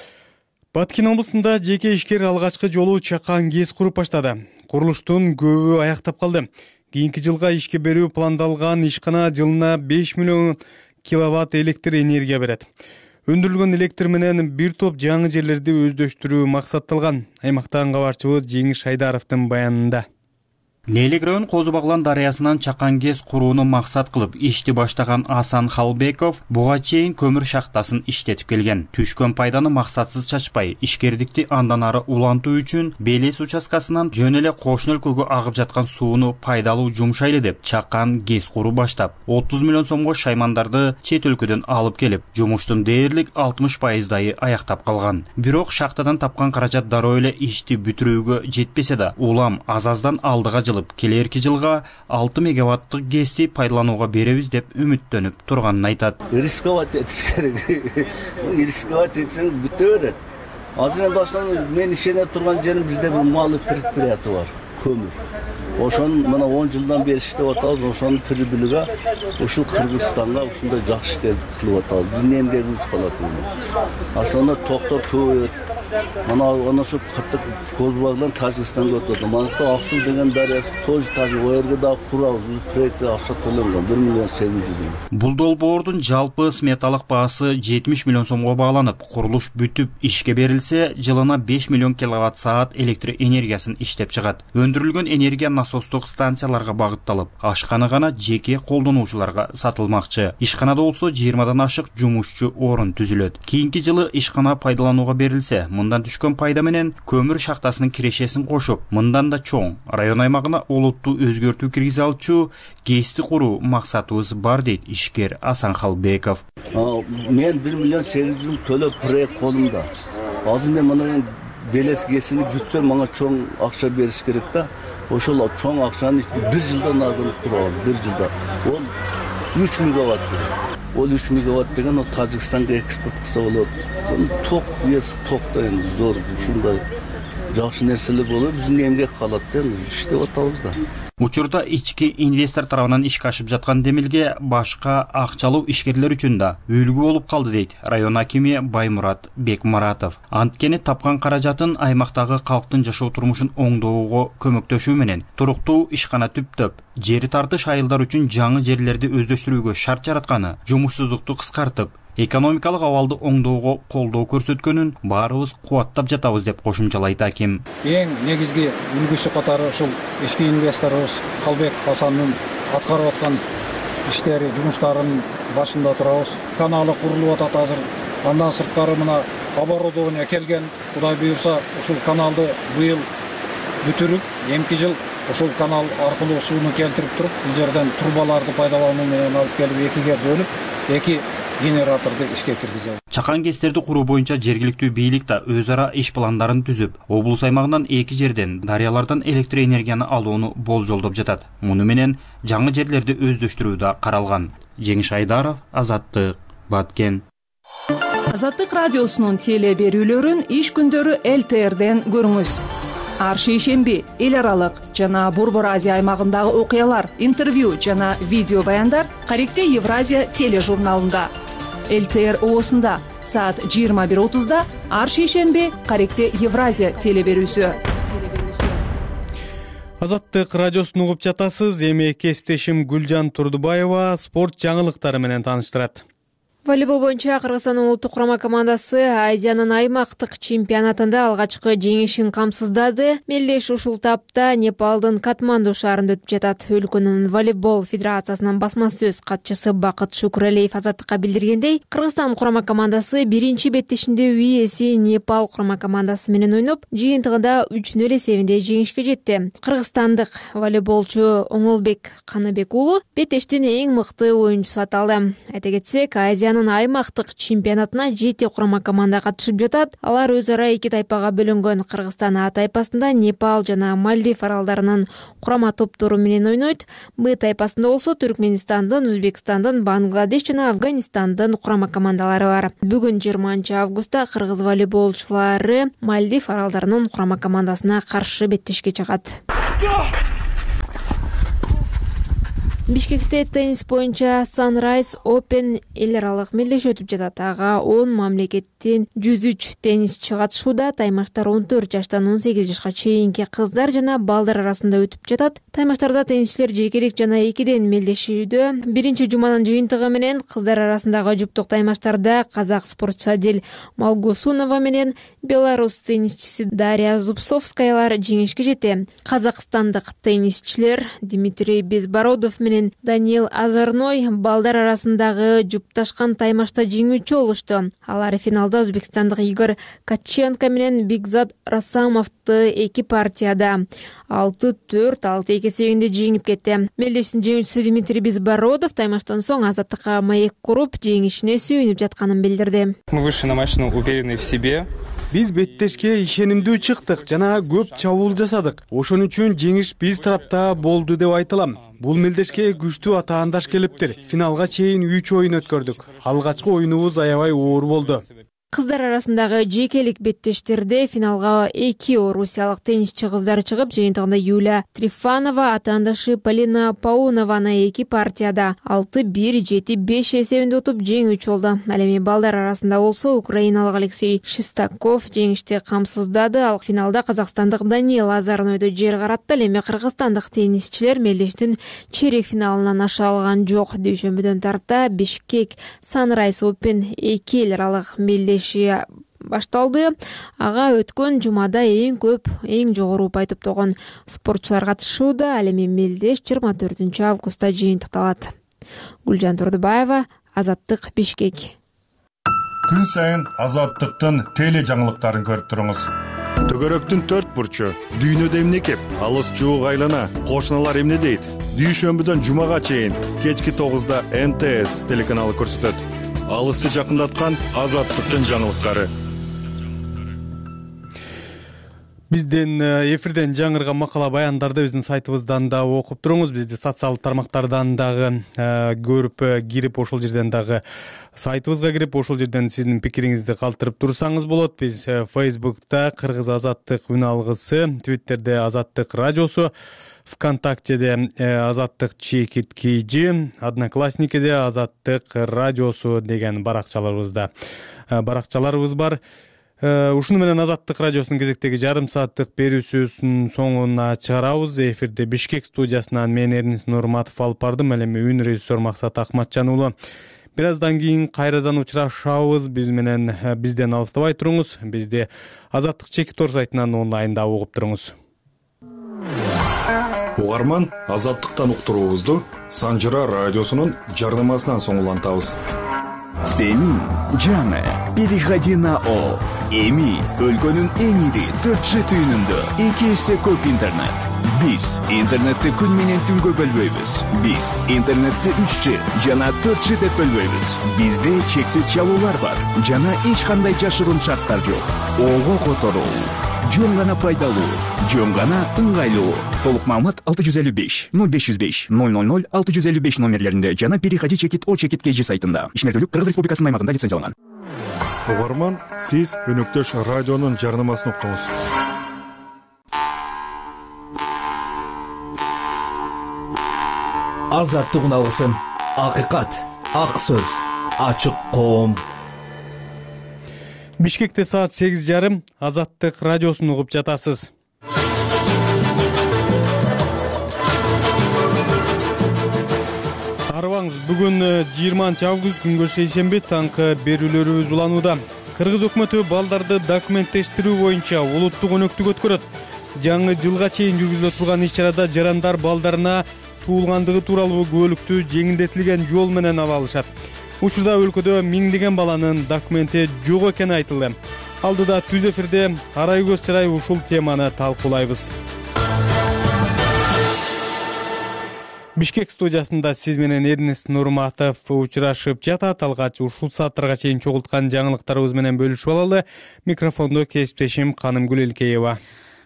Баткен облусунда жеке ишкер алгачкы жолу чакан ГЭС куруп баштады. Курулуштун көбү аяктап калды. Кийинки жылга ишке берүү пландалган ишкана жылына беш миллион киловатт электр энергия берет. Өндүрүлгөн электр менен бир топ жаңы жерлерди өздөштүрүү максатталган. Аймактан кабарчыбыз Жеңиш Айдаровдун баянында. Нелигрön Козу Баглан дарыясынан чакан ГЭС курууну максат кылып ишти баштаган Асан Халбеков буга чейин көмүр шахтасын иштетип келген. Түшкөн пайданы максатсыз чачпай, ишкердикти андан ары улантуу үчүн Белес участкасынан жөн эле кошуна өлкөгө агып жаткан сууну пайдалуу жумшайлы деп чакан ГЭС куруу баштап, отуз миллион сомго шаймандарды чет өлкөдөн алып келип, жумуштун дээрлик алтымыш пайыздайы аяктап калган. Бирок шахтадан тапкан каражат дароо эле ишти бүтүрүүгө жетпесе да, улам аз-аздан алдыга жылып, келерки жылга алты мегаваттык ГЭСти пайдаланууга беребиз деп үмүттөнүп турганын айтат. Рисковать этиш керек. Рисковать этсеңиз бүтө берет. Азыр эми башынан мен ишене турган жерим бизде бир малый предприятие бар, көмүр. Ошонун мына он жылдан бери иштеп атабыз, ошонун прибылига ушул Кыргызстанга ушундай жакшы иштерди кылып атабыз. Биздин эмгегибиз калат. Асында токтор көбөйөт. Мана ana şu kırtık Kozbag'dan Tajikistan'a ötürdüm. Mantıkta Aksun деген darısı тоже Tajik o yerge daha kurabız. Biz proyekte akça төлөнгөн bir milyon sekiz yüz ming. Бул долбоордун жалпы сметалык баасы жетимиш миллион сомго багланып, курулуш бүтүп ишке берилсе, жылына беш миллион киловатт саат электр энергиясын иштеп чыгат. Өндүрүлгөн энергия насостук станцияларга багытталып, ашкана гана жеке колдонуучуларга сатылмакчы. Ишканада болсо жыйырмадан ашык жумушчу орун түзүлөт. Кийинки жылы ишкана пайдаланууга берилсе, мындан түшкөн пайда менен көмүр шахтасынын кирешесин кошуп, мындан да чоң район аймагына олуттуу өзгөртүү киргизе алчу ГЭСти куруу максатыбыз бар дейт ишкер Асан Халбеков. Мен bir milyon sekiz yüz ming төлөп проект колумда. Азыр мен мына Белес ГЭСини бүтсөм, мага чоң акча бериш керек да. Ошол чоң акчаны бир жылдан ардын курабыз, бир жылда. Ол үч мегаватт. Ол үч мегаватт деген ол Тажикстанга экспорт кылса болот. Ток ес токто энди зор ушундай жакшы нерселер болуп, биздин эмгек калат да, иштеп атабыз да. Учурда ички инвестор тарабынан ишке ашып жаткан демилге башка акчалуу ишкерлер үчүн да үлгү болуп калды дейт район акими Баймурат Бекмуратов. Анткени тапкан каражатын аймактагы калктын жашоо турмушун оңдоого көмөктөшүү менен туруктуу ишкана түптөп, жери тартыш айылдар үчүн жаңы жерлерди өздөштүрүүгө шарт жаратканы жумушсуздукту кыскартып, экономикалык абалды оңдоого колдоо көрсөткөнүн баарыбыз кубаттап жатабыз деп кошумчалайт аким. Эң негизги үлгүсү катары ушул ички инвесторубуз Халбеков Асандын аткарып аткан иштери, жумуштарынын башында турабыз. Каналы курулуп атат азыр. Андан сырткары мына оборудование келген. Кудай буйрса ушул каналды быйыл бүтүрүп, эмки жыл ушул канал аркылуу сууну келтирип туруп, бул жерден трубаларды пайдалануу менен алып келип экиге бөлүп, эки генераторду ишке киргизебиз. Чакан КЭСтерди куруу боюнча жергиликтүү бийлик да өз ара иш пландарын түзүп, облус аймагынан эки жерден дарыялардан электр энергияны алууну болжолдоп жатат. Муну менен жаңы жерлерди өздөштүрүү да каралган. Жеңиш Айдаров, Азаттык, Баткен. Азаттык радиосунун теле берүүлөрүн иш күндөрү эл тэ эрден көрүңүз. Ар шейшемби эл аралык жана Борбор Азия аймагындагы окуялар, интервью жана видео баяндар Каректе Евразия тележурналында. эл тэ эр оосунда саат жыйырма бир отузда ар шейшемби Каректе Евразия теле берүүсү. Азаттык радиосун угуп жатасыз. Эми кесиптешим Гүлжан Турдубаева спорт жаңылыктары менен тааныштырат. Волейбол боюнча Кыргызстандын улуттук курама командасы Азиянын аймактык чемпионатында алгачкы жеңишин камсыздады. Мелдеш ушул тапта Непалдын Катманду шаарында өтүп жатат. Өлкөнүн волейбол федерациясынын басма сөз катчысы Бакыт Шукуралиев Азаттыкка билдиргендей, Кыргызстан курама командасы биринчи беттешинде үйеси Непал курама командасы менен ойноп, жыйынтыгында үч нөл эсебинде жеңишке жетти. Кыргызстандык волейболчу Оңолбек Канабек уулу беттештин эң мыкты оюнчусу аталды. Айта кетсек, Азиянын аймактык чемпионатына жети курама команда катышып жатат. Алар өз ара эки тайпага бөлүнгөн. Кыргызстан А тайпасында Непал жана Мальдив аралдарынын курама топтору менен ойнойт. Б тайпасында болсо Түркменистандын, Өзбекстандын, Бангладеш жана Афганистандын курама командалары бар. Бүгүн жыйырманчы августта кыргыз волейболчулары Мальдив аралдарынын курама командасына каршы беттешке чыгат. Бишкекте теннис боюнча Sunrise Open эл аралык мелдешүү өтүп жатат. Ага он мамлекеттен жүз үч теннисчи катышууда. Таймаштар он төрт жаштан он сегиз жашка чейинки кыздар жана балдар арасында өтүп жатат. Таймаштарда теннисчилер жекелик жана экиден мелдешүүдө. Биринчи жуманын жыйынтыгы менен кыздар арасындагы жуптук таймаштарда казак спортчусу Адель Малгусунова менен белорус теннисчиси Дарья Зубцовскаялар жеңишке жетти. Казакстандык теннисчилер Дмитрий Безбородов менен Даниил Азарной балдар арасындагы жупташкан таймашта жеңүүчү болушту. Алар финалда өзбекстандык Игорь Катченко менен Бигзат Расамовду эки партияда алты төрт алты эки эсебинде жеңип кетти. Мелдештин жеңүүчүсү Дмитрий Безбородов таймаштан соң Азаттыкка маек куруп жеңишине сүйүнүп жатканын билдирди. Мы вышли на матч уверенные в себе. Биз беттешке ишенимдүү чыктык жана көп чабуул жасадык. Ошон үчүн жеңиш биз тарапта болду деп айтылам. Бул мелдешке күчтүү атаандаш келиптир. Финалга чейин үч оюн өткөрдүк. Алгачкы оюнубуз аябай оор болду. Кыздар арасындагы жекелик беттештерде финалга эки орусиялык теннисчи кыздар чыгып, жыйынтыгында Юлия Трифанова атаандашы Полина Паунованы эки партияда алты бир жети беш эсебинде утуп жеңүүчү болду. Ал эми балдар арасында болсо украиналык Алексей Шестаков жеңишти камсыздады. Ал финалда казакстандык Даниил Азарнойду жер каратты. Ал эми кыргызстандык теннисчилер мелдештин чейрек финалынан аша алган жок. Дүйшөмбүдөн тарта Бишкек Sunrise Open эки эл аралык мелдеш башталды. Ага өткөн жумада эң көп, эң жогору упай топтогон спортчулар катышууда. Ал эми мелдеш жыйырма төртүнчү августта жыйынтыкталат. Гүлжан Турдубаева, Азаттык, Бишкек. Күн сайын Азаттыктын теле жаңылыктарын көрүп туруңуз. Төгөрөктүн төрт бурчу, дүйнөдө эмне кеп, алыс жуук айлана, кошуналар эмне дейт? Дүйшөмбүдөн жумага чейин кечки тогузда Эн Тэ Эс телеканалы көрсөтөт. Алысты жакындаткан Азаттыктын жаңылыктары. Бизден эфирден жаңырган макала баяндарды биздин сайтыбыздан да окуп туруңуз. Бизди социалдык тармактардан дагы көрүп кирип, ошол жерден дагы сайтыбызга кирип, ошол жерден сиздин пикириңизди калтырып турсаңыз болот. Биз Фейсбукта Кыргыз Азаттык үн алгысы, Твиттерде Азаттык радиосу, ВКонтактеде Азаттык чекит кейжи, Одноклассникеде Азаттык радиосу деген баракчаларыбызда баракчаларыбыз бар. Ушуну менен Азаттык радиосунун кезектеги жарым сааттык берүүсүнүн соңуна чыгарабыз. Эфирде Бишкек студиясынан мен Эрнис Нурматов алып бардым. Ал эми үн режиссер Максат Акматжан уулу. Бир аздан кийин кайрадан учурашабыз. Биз менен бизден алыстабай туруңуз. Бизди Азаттык чекит ор сайтынан онлайнда угуп туруңуз. Угарман Азаттыктан уктуруубузду Санжыра радиосунун жарнамасынан соң улантабыз. Сенин жаңы переходи на О. Эми өлкөнүн эң ири төрт жи түйүнүндө эки эсе көп интернет. Биз интернетти күн менен түнгө бөлбөйбүз. Биз интернетти үч жи жана төрт жи деп бөлбөйбүз. Бизде чексиз чалуулар бар жана эч кандай жашыруун шарттар жок. Ого которуу, жөн гана пайдалуу, жөн гана ыңгайлуу. Толук маалымат алты жүз элүү беш ноль беш жүз беш ноль ноль ноль алты жүз элүү беш номерлеринде жана переходи чекит о чекит kg сайтында. Ишмердүүлүк Кыргыз Республикасынын аймагында лицензияланган. Угарман, сиз өнөктөш радионун жарнамасын уктуңуз. Азаттык алгысын, акыйкат, ак сөз, ачык коом. Бишкекте саат сегиз жарым Азаттык радиосун угуп жатасыз. Арыбаңыз, бүгүн жыйырманчы август күнгө шейшемби таңкы берүүлөрүбүз уланууда. Кыргыз өкмөтү балдарды документтештирүү боюнча улуттук өнөктүк өткөрөт. Жаңы жылга чейин жүргүзүлө турган иш-чарада жарандар балдарына туулгандыгы тууралуу күбөлүктү жеңилдетилген жол менен ала алышат. Учурда өлкөдө миңдеген баланын документи жок экени айтылды. Алдыда түз эфирде арай көз чарай ушул теманы талкуулайбыз. Бишкек студиясында сиз менен Эрнест Нурматов учурашып жатат. Алгач ушул сааттарга чейин чогулткан жаңылыктарыбыз менен бөлүшүп алалы. Микрофондо кесиптешим Канымгүл Элкеева.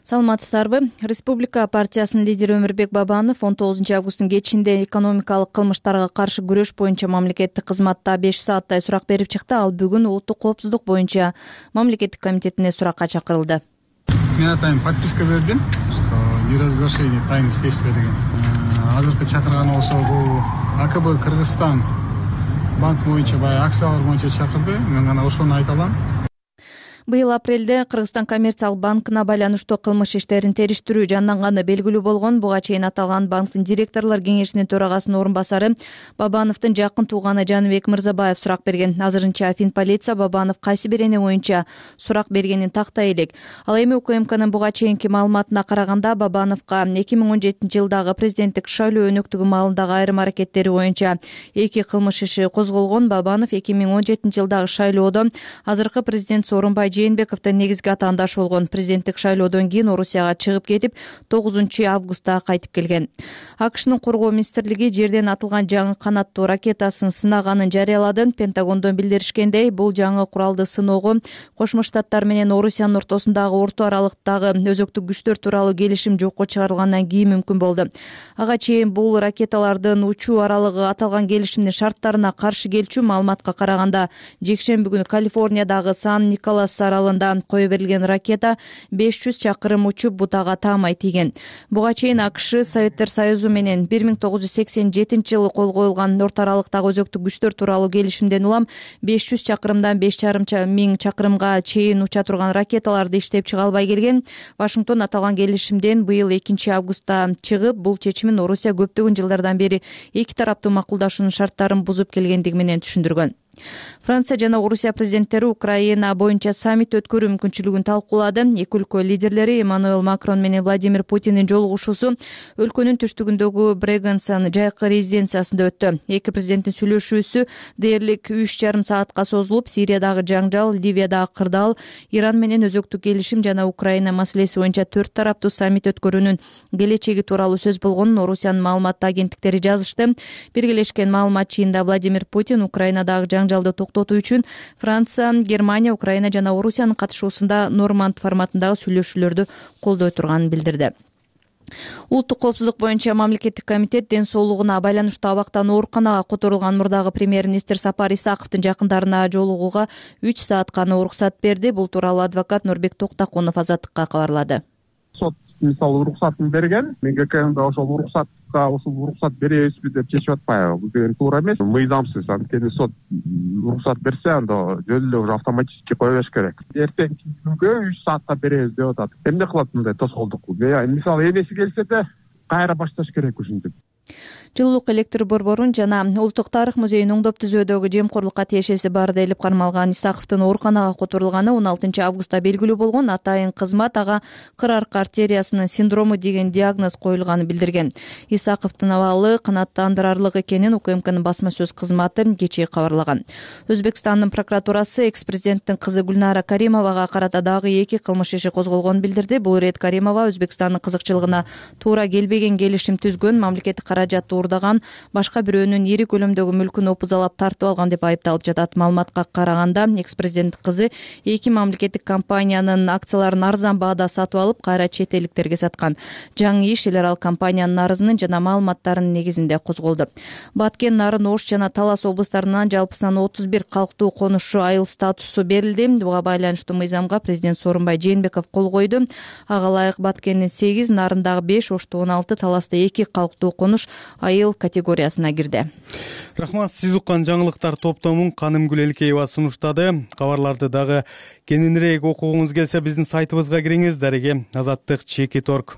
Саламатсыздарбы? Республика партиясынын лидери Өмүрбек Бабанов он тогузунчу августтун кечинде экономикалык кылмыштарга каршы күрөш боюнча мамлекеттик кызматта беш сааттай сурак берип чыкты. Ал бүгүн улуттук коопсуздук боюнча мамлекеттик комитетине суракка чакырылды. Мен атайын подписка бердим, что неразглашение тайны следствия деген. Азыркы чакырганы болсо бул АКБ Кыргызстан банк боюнча баягы акциялар боюнча чакырды. Мен гана ошону айта алам. Быйыл апрелде Кыргызстан коммерциялык банкына байланыштуу кылмыш иштерин териштирүү жанданганы белгилүү болгон. Буга чейин аталган банктын директорлор кеңешинин төрагасынын орун басары Бабановдун жакын тууганы Жаныбек Мырзабаев сурак берген. Азырынча Финполиция Бабанов кайсы бир эне боюнча сурак бергенин тактай элек. Ал эми УКМКнын буга чейинки маалыматына караганда Бабановго эки миң он жетинчи жылдагы президенттик шайлоо өнөктүгү маалындагы айрым аракеттери боюнча эки кылмыш иши козголгон. Бабанов эки миң он жетинчи жылдагы шайлоодо азыркы президент Сооронбай Жээнбековдун негизги атаандашы болгон. Президенттик шайлоодон кийин Орусияга чыгып кетип, тогузунчу августта кайтып келген. АКШнын коргоо министрлиги жерден атылган жаңы канаттуу ракетасын сынаганын жарыялады. Пентагондон билдиришкендей, бул жаңы куралды сыноого Кошмо Штаттар менен Орусиянын ортосундагы орто аралыктагы өзөктүк күчтөр тууралуу келишим жокко чыгарылгандан кийин мүмкүн болду. Ага чейин бул ракеталардын учуу аралыгы аталган келишимдин шарттарына каршы келчү. Маалыматка караганда, жекшемби күнү Калифорниядагы Сан-Николас аралында кое берилген ракета беш жүз чакырым учуп бутага таамай тийген. Буга чейин АКШ Советтер Союзу менен бир миң тогуз жүз сексен жетинчи жылы кол коюлган орто аралыктагы өзөктүк күчтөр тууралуу келишимден улам беш жүз чакырымдан беш жарым миң чакырымга чейин уча турган ракеталарды иштеп чыга албай келген. Вашингтон аталган келишимден быйыл экинчи августта чыгып, бул чечимин Орусия көптөгөн жылдардан бери эки тараптуу макулдашуунун шарттарын бузуп келгендиги менен түшүндүргөн. Франция жана Орусия президенттери Украина боюнча саммит өткөрүү мүмкүнчүлүгүн талкуулады. Эки өлкө лидерлери Эммануэл Макрон менен Владимир Путиндин жолугушуусу өлкөнүн түштүгүндөгү Брегенсан жайкы резиденциясында өттү. Эки президенттин сүйлөшүүсү дээрлик үч жарым саатка созулуп, Сириядагы жаңжал, Ливиядагы кырдаал, Иран менен өзөктүк келишим жана Украина маселеси боюнча төрт тараптуу саммит өткөрүүнүн келечеги тууралуу сөз болгонун Орусиянын маалымат агенттиктери жазышты. Биргелешкен маалымат чыйында Владимир Путин Украинадагы жаңжалды токтотуу үчүн Франция, Германия, Украина жана Орусиянын катышуусунда Норманд форматындагы сүйлөшүүлөрдү колдой турганын билдирди. Улуттук коопсуздук боюнча мамлекеттик комитет ден соолугуна байланыштуу абактан ооруканага которулган мурдагы премьер-министр Сапар Исаковдун жакындарына жолугууга үч саат гана уруксат берди. Бул тууралуу адвокат Нурбек Токтакунов Азаттыкка кабарлады. Сот мисалы уруксатын берген, МГКда ошол уруксатка ушул уруксат беребизби деп чечип атпайбы? Бул деген туура эмес. Мыйзамсыз. Анткени сот уруксат берсе, анда жөн эле уже автоматически кое бериш керек. Эртеңки күнгө үч саатка беребиз деп атат. Эмне кылат мындай тоскоолдук? Мисалы энеси келсе да кайра башташ керек ушинтип. жылуулук электр борборун жана улуттук тарых музейин оңдоп түзүүдөгү жемкорлукка тиешеси бар делип кармалган Исаковдун ооруканага которулганы он алтынчы августта белгилүү болгон. Атайын кызмат ага кыр арка артериясынын синдрому деген диагноз коюлганын билдирген. Исаковдун абалы канааттандырарлык экенин УКМКнын басма сөз кызматы кечээ кабарлаган. Өзбекстандын прокуратурасы экс-президенттин кызы Гүлнара Каримовага карата дагы эки кылмыш иши козголгонун билдирди. Бул ирет Каримова Өзбекстандын кызыкчылыгына туура келбеген келишим түзгөн, мамлекеттик каражатты уурдаган, башка бирөөнүн ири көлөмдөгү мүлкүн опузалап тартып алган деп айыпталып жатат. Маалыматка караганда экс-президенттин кызы эки мамлекеттик компаниянын акцияларын арзан баада сатып алып, кайра чет элдиктерге саткан. Жаңы иш эл аралык компаниянын арызынын жана маалыматтарынын негизинде козголду. Баткен, Нарын, Ош жана Талас облустарынан жалпысынан отуз бир калктуу конушу айыл статусу берилди. Буга байланыштуу мыйзамга президент Сооронбай Жээнбеков кол койду. Ага ылайык Баткендин сегиз, Нарындагы беш, Ошто он алты, Таласта эки калктуу конуш айыл категориясына кирди. Рахмат. Сиз уккан жаңылыктар топтомун Канымгүл Элкеева сунуштады. Кабарларды дагы кененирээк окугуңуз келсе биздин сайтыбызга кириңиз. Дареге азаттык чекит точка орг.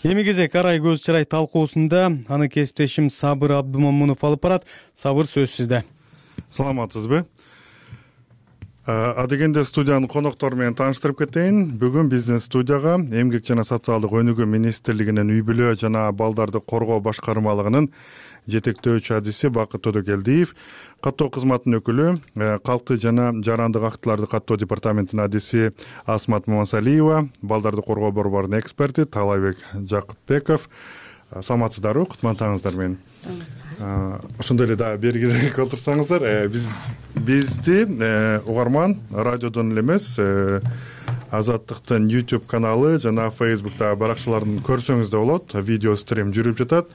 Эми кезек арай көз чырай талкуусунда аны кесиптешим Сабыр Абдумомунов алып барат. Сабыр, сөз сизде. Саламатсызбы? Адегенде студиянын коноктору менен тааныштырып кетейин. Бүгүн биздин студияга Эмгек жана социалдык өнүгүү министрлигинин үй бүлө жана балдарды коргоо башкармалыгынын жетектөөчү адиси Бакыт Төдөкелдиев, каттоо кызматынын өкүлү, калкты жана жарандык актыларды каттоо департаментинин адиси Асмат Мамасалиева, балдарды коргоо борборунун эксперти Таалайбек Жакыпбеков. Саламатсыздарбы? Кутмандаңыздар мени. Ошондой эле дагы бергиге отурсаңыздар, биз бизди угарман радиодон эле эмес, Азаттыктын YouTube каналы жана Facebook'та баракчаларын көрсөңүз да болот. Видео стрим жүрүп жатат.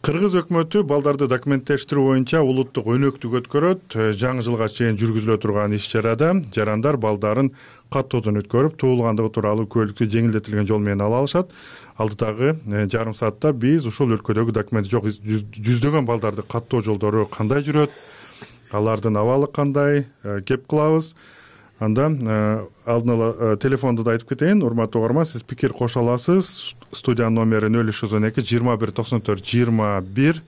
Кыргыз өкмөтү балдарды документтештирүү боюнча улуттук өнөктүк өткөрөт. Жаңы жылга чейин жүргүзүлө турган иш-чарада жарандар балдарын каттоодон өткөрүп, туулгандыгы тууралуу күбөлүктү жеңилдетилген жол менен ала алышат. Алдыдагы жарым саатта биз ушул өлкөдөгү документи жок жүздөгөн балдарды каттоо жолдору кандай жүрөт, алардын абалы кандай, кеп кылабыз. Анда алдын ала телефонду да айтып кетейин. Урматтуу угарман, сиз пикир кошо аласыз. Студиянын номери нөл үч жүз он эки жыйырма бир токсон төрт жыйырма бир,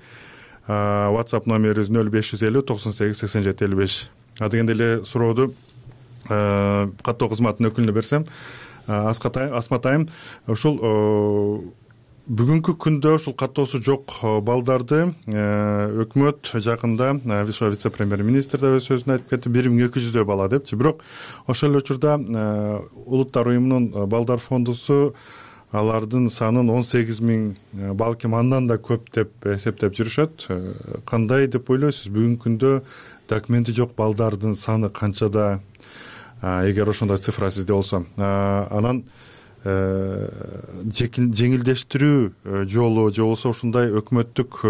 WhatsApp номерибиз нөл беш жүз элүү токсон сегиз сексен жети элүү беш. Адегенде эле сурооду каттоо кызматынын өкүлүнө берсем, Асматайым, ушул бүгүнкү күндө ушул каттоосу жок балдарды өкмөт жакында вице-премьер-министр да өз сөзүндө айтып кетти, бир миң эки жүздөй бала депчи. Бирок ошол эле учурда Улуттар уюмунун балдар фондусу алардын санын он сегиз миң, балким андан да көп деп эсептеп жүрүшөт. Кандай деп ойлойсуз? Бүгүнкү күндө документи жок балдардын саны канчада? Эгер ошондой цифра сизде болсо, анан жеңилдештирүү жолу же болбосо ушундай өкмөттүк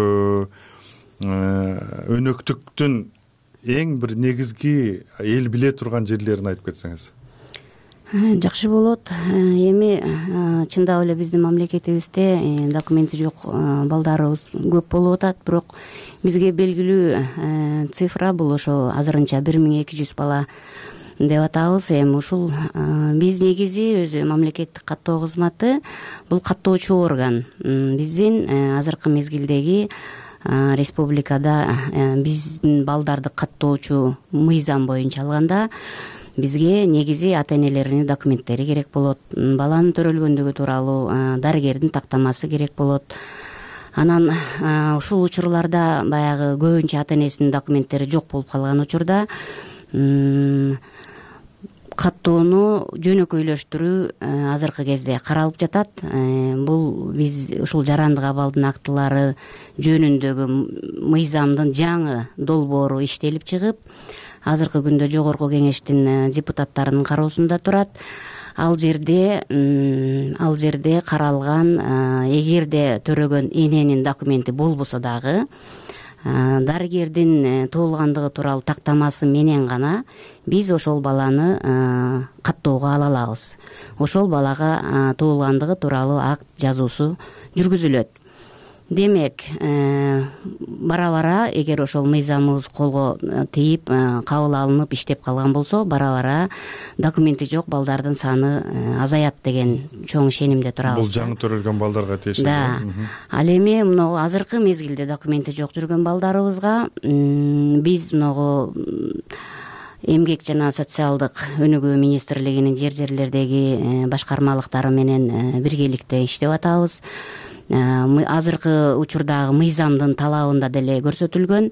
өнөктүктүн эң бир негизги эл биле турган жерлерин айтып кетсеңиз. Жакшы болот. Эми чындап эле биздин мамлекетибизде документи жок балдарыбыз көп болуп атат, бирок бизге белгилүү цифра бул ошо азырынча бир миң эки жүз бала деп атабыз. Эми ушул биз негизи өзү мамлекеттик каттоо кызматы бул каттоочу орган. Биздин азыркы мезгилдеги республикада биздин балдарды каттоочу мыйзам боюнча алганда бизге негизи ата энелеринин документтери керек болот, баланын төрөлгөндүгү тууралуу дарыгердин тактамасы керек болот. Анан ушул учурларда баягы көбүнчө ата энесинин документтери жок болуп калган учурда каттоону жөнөкөйлөштүрүү азыркы кезде каралып жатат. Бул биз ушул жарандык абалдын актылары жөнүндөгү мыйзамдын жаңы долбоору иштелип чыгып, азыркы күндө жогорку кеңештин депутаттарынын кароосунда турат. Ал жерде ал жерде каралган, эгерде төрөгөн эненин документи болбосо дагы дарыгердин туулгандыгы тууралуу тактамасы менен гана биз ошол баланы каттоого ала алабыз. Ошол балага туулгандыгы тууралуу акт жазуусу жүргүзүлөт. демек бара бара эгер ошол мыйзамыбыз колго тийип кабыл алынып иштеп калган болсо бара бара документи жок балдардын саны азаят деген чоң ишенимде турабыз. Бул жаңы төрөлгөн балдарга тиешелүү. Да. Ал эми мына азыркы мезгилде документи жок жүргөн балдарыбызга биз могу эмгек жана социалдык өнүгүү министрлигинин жер жерлердеги башкармалыктары менен биргеликте иштеп атабыз. Азыркы учурдагы мыйзамдын талабында деле көрсөтүлгөн.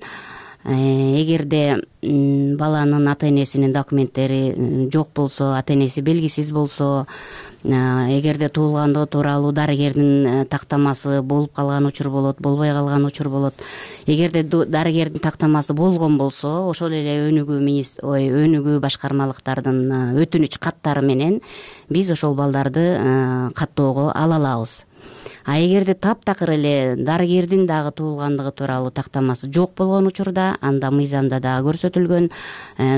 Эгерде баланын ата энесинин документтери жок болсо, ата энеси белгисиз болсо, эгерде туулгандыгы тууралуу дарыгердин тактамасы болуп калган учур болот, болбой калган учур болот. Эгерде дарыгердин тактамасы болгон болсо, ошол эле өнүгүү министр ой өнүгүү башкармалыктардын өтүнүч каттары менен биз ошол балдарды каттоого ала алабыз. А эгерде таптакыр эле дарыгердин дагы туулгандыгы тууралуу тактамасы жок болгон учурда, анда мыйзамда дагы көрсөтүлгөн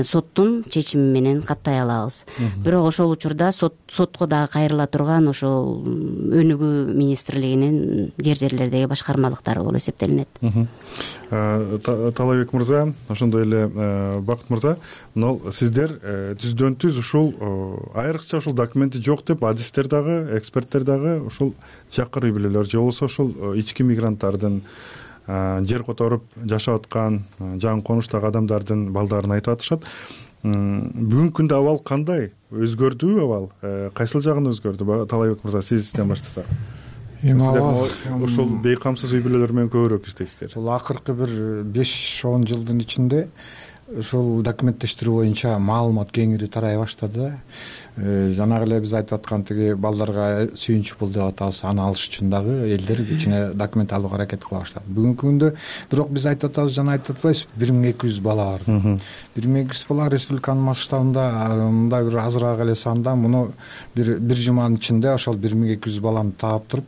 соттун чечими менен каттай алабыз. Бирок ошол учурда сотко дагы кайрыла турган ошол өнүгүү министрлигинин жер жерлердеги башкармалыктары болуп эсептелинет. Талабек мырза, ошондой эле Бакыт мырза, мына сиздер түздөн түз ушул айрыкча ушул документи жок деп адистер дагы, эксперттер дагы ушул жакыр үй бүлөлөр же болбосо ушул ички мигранттардын жер которуп жашап аткан жаңы конуштагы адамдардын балдарын айтып атышат. Бүгүнкү күндө абал кандай? Өзгөрдүбү абал? Кайсыл жагын өзгөрдү? Талайбек мырза, сизден баштасак. Сиздер ушул бейкамсыз үй бүлөлөр менен көбүрөөк иштейсиздер. Бул акыркы бир беш он жылдын ичинде ушул документтештирүү боюнча маалымат кеңири тарай баштады. Жанагы эле биз айтып аткан тиги балдарга сүйүнч пул деп атабыз, аны алыш үчүн дагы элдер кичине документ алууга аракет кыла баштады. Бүгүнкү күндө бирок биз айтып атабыз, жана айтып атпайбыз, бир миң эки жүз бала бар. бир миң эки жүз бала республиканын масштабында, мындай бир азыраак эле санда муну бир бир жуманын ичинде ошол бир миң эки жүз баланы таап туруп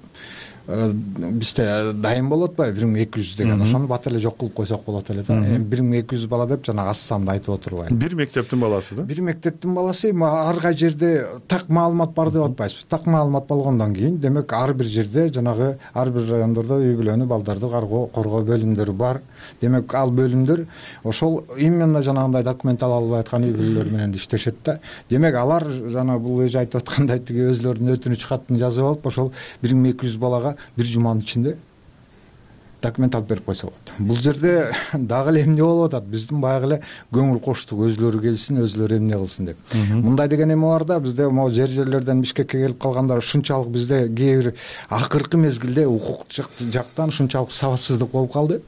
бизде дайым болуп атпайбы бир миң эки жүз деген, ошону бат эле жок кылып койсок болот эле да. Эми бир миң эки жүз бала деп жана аз санды айтып отурбайм. Бир мектептин баласы да? Бир мектептин баласы, ар кай жерде так маалымат бар деп атпайбыз. Так маалымат болгондон кийин, демек ар бир жерде жанагы ар бир райондордо үй бүлөнү, балдарды коргоо бөлүмдөрү бар. Демек ал бөлүмдөр ошол именно жанагындай документ ала албай аткан үй бүлөлөр менен иштешет да. Демек алар жана бул эже айтып аткандай тиги өзлөрүнүн өтүнүч катын жазып алып, ошол бир миң эки жүз балага бир жуманын ичинде документ алып берип койсо болот. Бул жерде дагы эле эмне болуп атат? Биздин баягы эле көңүл коштук, өзлөрү келсин, өзлөрү эмне кылсын деп. Мындай деген эме бар да, бизде могу жер жерлерден Бишкекке келип калгандар ушунчалык бизде кээ бир акыркы мезгилде укук жактан ушунчалык сабатсыздык болуп калды.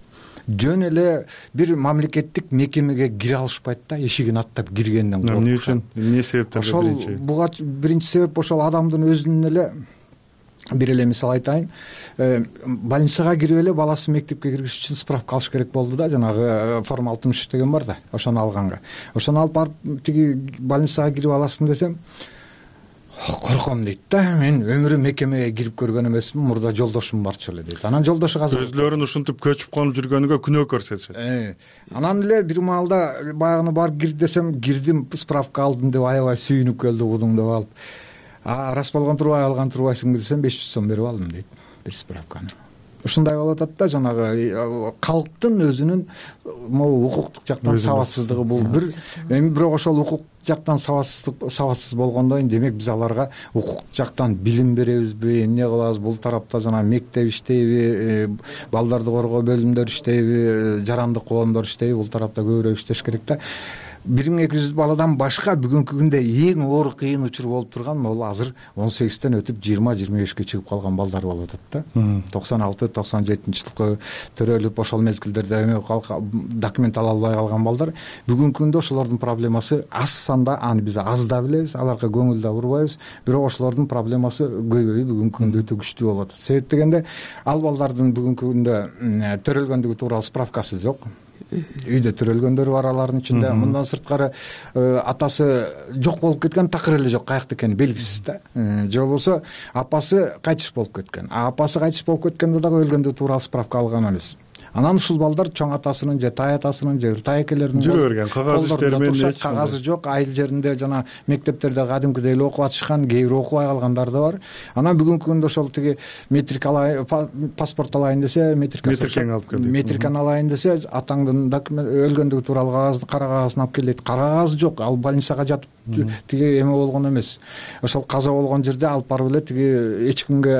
Жөн эле бир мамлекеттик мекемеге кире алышпайт да, эшигин аттап киргенден коркуп. Эмне үчүн? Эмне себептен? Ошол буга биринчи себеп ошол адамдын өзүнүн эле. Бир эле мисал айтайын, больницага кирип эле баласы мектепке киргиш үчүн справка алыш керек болду да, жанагы форма алтымыш үч деген бар да, ошону алганга. Ошону алып барып тиги больницага кирип аласың десем, корком дейт да, мен өмүрүм мекемеге кирип көргөн эмесмин, мурда жолдошум барчу эле дейт. Анан жолдошу азыр өзлөрүн ушинтип көчүп калып жүргөнүгө күнөө көрсөтүшөт. Анан эле бир маалда баягыны барып кир десем, кирдим, справка алдым деп аябай сүйүнүп келди будуң деп алып. А рас болгон турбай алган турбайсыңбы десем, беш жүз сом берип алдым дейт бир справканы. Ушундай болуп атат да, жанагы калктын өзүнүн могу укуктук жактан сабатсыздыгы бул бир. Эми бирок ошол укук жактан сабатсыздык сабатсыз болгондон кийин демек биз аларга укук жактан билим беребизби, эмне кылабыз? Бул тарапта жана мектеп иштейби, балдарды коргоо бөлүмдөр иштейби, жарандык коомдор иштейби, бул тарапта көбүрөөк иштеш керек да. бир миң эки жүз баладан башка бүгүнкү күндө эң оор кыйын учур болуп турган бул азыр он сегизден өтүп жыйырма жыйырма бешке чыгып калган балдар болуп атат да. токсон алты токсон жетинчи жылкы төрөлүп ошол мезгилдерде эме документ ала албай калган балдар бүгүнкү күндө ошолордун проблемасы аз санда, аны биз аз да билебиз, аларга көңүл да бурбайбыз, бирок ошолордун проблемасы көйбөйүп бүгүнкү күндө өтө күчтүү болуп атат. Себеп дегенде ал балдардын бүгүнкү күндө төрөлгөндүгү тууралуу справкасы жок. Үйдө төрөлгөндөр бар алардын ичинде. Мындан сырткары атасы жок болуп кеткен, такыр эле жок, каякта экени белгисиз да. Же болбосо апасы кайтыш болуп кеткен. А апасы кайтыш болуп кеткенде дагы өлгөндүгү тууралуу справка алган эмес. Анан ушул балдар чоң атасынын же тай атасынын же ыртай экелеринин жүрө берген кагаз иштери менен кагазы жок, айыл жеринде жана мектептерде кадимкидей эле окуп атышкан, кээ бирөө окубай калгандар да бар. Анан бүгүнкү күндө ошол тиги метрик алайын, паспорт алайын десе, метрикени алып келди. Метрикени алайын десе, атаңдын өлгөндүгү тууралуу кагазды, кара кагазын алып кел дейт. Кара кагаз жок, ал больницага жатып тиги эме болгон эмес. Ошол каза болгон жерде алып барып эле тиги эч кимге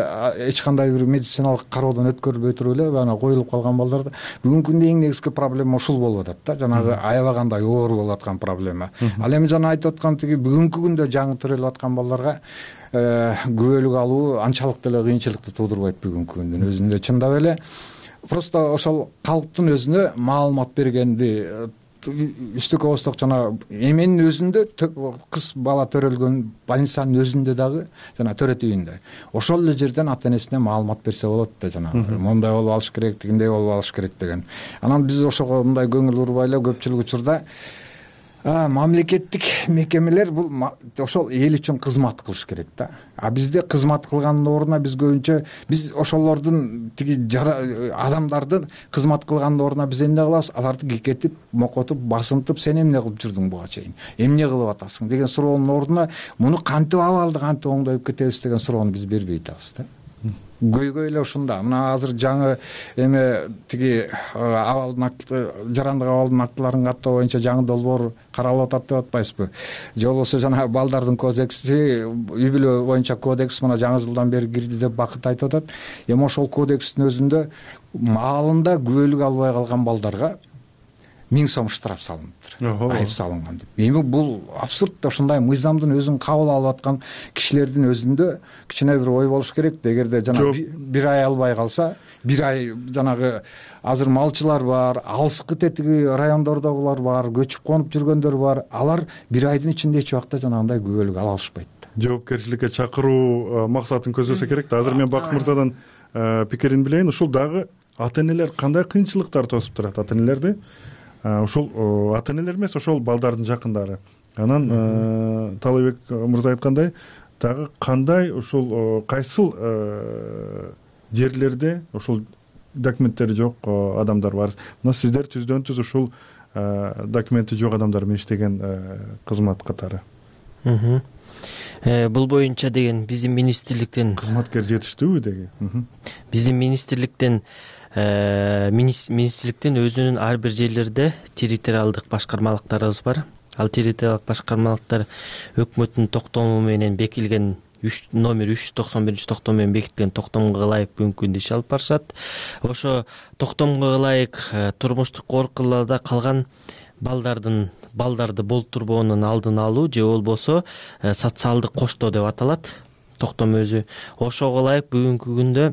эч кандай бир медициналык кароодон өткөрүлбөй туруп эле анан коюлуп калган балдар. Бүгүнкү күндө эң негизги проблема ушул болуп атат да, жанагы аябагандай оору болуп аткан проблема. Ал эми жана айтып аткан тиги бүгүнкү күндө жаңы төрөлүп аткан балдарга күбөлүк алуу анчалык деле кыйынчылыкты туудурбайт бүгүнкү күндүн өзүндө. Чындап эле просто ошол калктын өзүнө маалымат бергенди үстүккө косток жана эменин өзүндө кыз бала төрөлгөн больницанын өзүндө дагы жана төрөт үйүндө ошол эле жерден ата энесине маалымат берсе болот да, жанагы мондай болуп алыш керек, тигиндей болуп алыш керек деген. Анан биз ошого мындай көңүл бурбай эле көпчүлүк учурда мамлекеттик мекемелер бул ошол эл үчүн кызмат кылыш керек да. А бизде кызмат кылгандын ордуна биз көбүнчө биз ошолордун тиги адамдардын кызмат кылгандын ордуна биз эмне кылабыз? Аларды кекетип, мокотуп, басынтып, сен эмне кылып жүрдүң буга чейин? Эмне кылып атасың деген суроонун ордуна муну кантип абалды кантип оңдоюп кетебиз деген суроону биз бербей атабыз да. Көйгөй эле ушунда. Мына азыр жаңы эме тиги абалдын акты, жарандык абалдын актыларын каттоо боюнча жаңы долбоор каралып атат деп атпайсызбы? Же болбосо жана балдардын кодекси, үй бүлө боюнча кодекс мына жаңы жылдан бери кирди деп Бакыт айтып атат. Эми ошол кодекстин өзүндө маалында күбөлүк албай калган балдарга миң сом штраф салыныптыр, айып салынган деп. Эми бул абсурд. Ошондой мыйзамдын өзүн кабыл алып аткан кишилердин өзүндө кичине бир ой болуш керек. Эгерде жана бир ай албай калса, бир ай жанагы азыр малчылар бар, алыскы тетиги райондордогулар бар, көчүп конуп жүргөндөр бар. Алар бир айдын ичинде эч убакта жанагындай күбөлүк ала алышпайт. Жоопкерчиликке чакыруу максатын көздөсө керек да. Азыр мен Бакыт мырзадан пикирин билейин. Ушул дагы ата энелер кандай кыйынчылыктар тосуп турат ата энелерди? Ошол ата энелер эмес, ошол балдардын жакындары. Анан Талайбек мырза айткандай, дагы кандай ушул кайсыл жерлерде ошол документтери жок адамдар бар. Мына сиздер түздөн түз ушул документи жок адамдар менен иштеген кызмат катары. Бул боюнча деген биздин министрликтен кызматкер жетиштүүбү деги? Биздин министрликтен министрликтин өзүнүн ар бир жерлерде территориалдык башкармалыктарыбыз бар. Ал территориалдык башкармалыктар өкмөттүн токтому менен бекитилген номер үч жүз токсон биринчи токтом менен бекитилген токтомго ылайык бүгүнкү күндө иш алып барышат. Ошо токтомго ылайык турмуштук коркууларда калган балдардын балдарды болтурбоонун алдын алуу же болбосо социалдык коштоо деп аталат токтом өзү. Ошого ылайык бүгүнкү күндө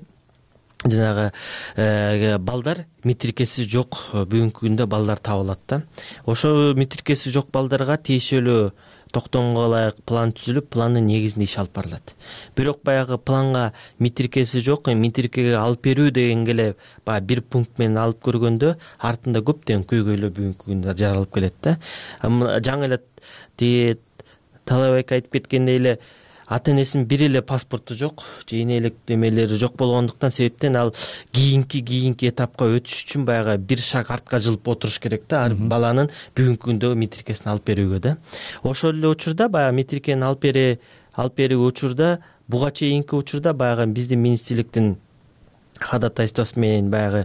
жанагы балдар метрикеси жок бүгүнкү күндө балдар табылат да. Ошо метрикеси жок балдарга тиешелүү токтомго ылайык план түзүлүп, пландын негизинде иш алып барылат. Бирок баягы планга метрикеси жок, метрикеге алып берүү дегенге эле баягы бир пункт менен алып көргөндө артында көптөгөн көйгөйлөр бүгүнкү күндө жаралып келет да. Жаңы эле тиги Талайбек айтып кеткендей эле ата энесинин бир эле паспорту жок, же энелик эмелери жок болгондуктан себептен ал кийинки кийинки этапка өтүш үчүн баягы бир шаг артка жылып отуруш керек да, ар баланын бүгүнкү күндө метрикесин алып берүүгө да. Ошол эле учурда баягы метрикени алып бере алып берүү учурда буга чейинки учурда баягы биздин министрликтин кадатайствосу менен баягы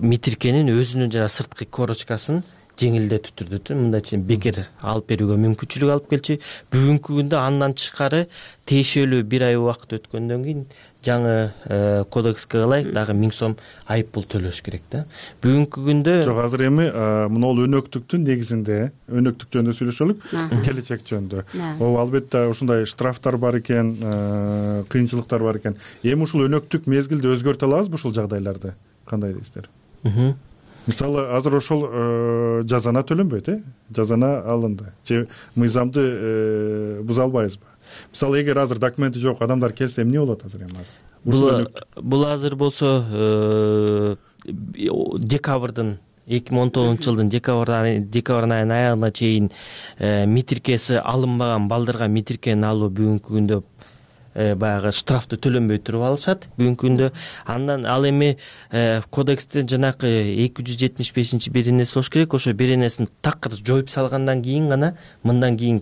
метрикенин өзүнүн жана сырткы корочкасын жеңилдетүү түрдө мындайча бекер алып берүүгө мүмкүнчүлүк алып келчү. Бүгүнкү күндө андан тышкары тиешелүү бир ай убакыт өткөндөн кийин жаңы кодекске ылайык дагы миң сом айып пул төлөш керек да. Бүгүнкү күндө жок, азыр эми мына ол өнөктүктүн негизинде өнөктүк жөнүндө сүйлөшөлүк, келечек жөнүндө. Ол албетте ушундай штрафтар бар экен, кыйынчылыктар бар экен. Эми ушул өнөктүк мезгилди өзгөртө алабызбы ушул жагдайларды? Кандай дейсиздер? Мисалы азыр ошол жазана төлөнбөйт, э? Жазана алынды. Же мыйзамды буза албайбызбы? Мисалы эгер азыр документи жок адамдар келсе эмне болот азыр эми азыр? Бул бул азыр болсо декабрдын эки миң он тогузунчу жылдын декабрь декабрь айынын аягына чейин метрикеси алынбаган балдарга метрикени алуу бүгүнкү күндө баягы штрафты төлөнбөй туруп алышат бүгүнкү күндө. Андан ал эми кодекстен жанакы эки жүз жетимиш бешинчи беренеси болуш керек. Ошо беренесин такыр жоюп салгандан кийин гана мындан кийин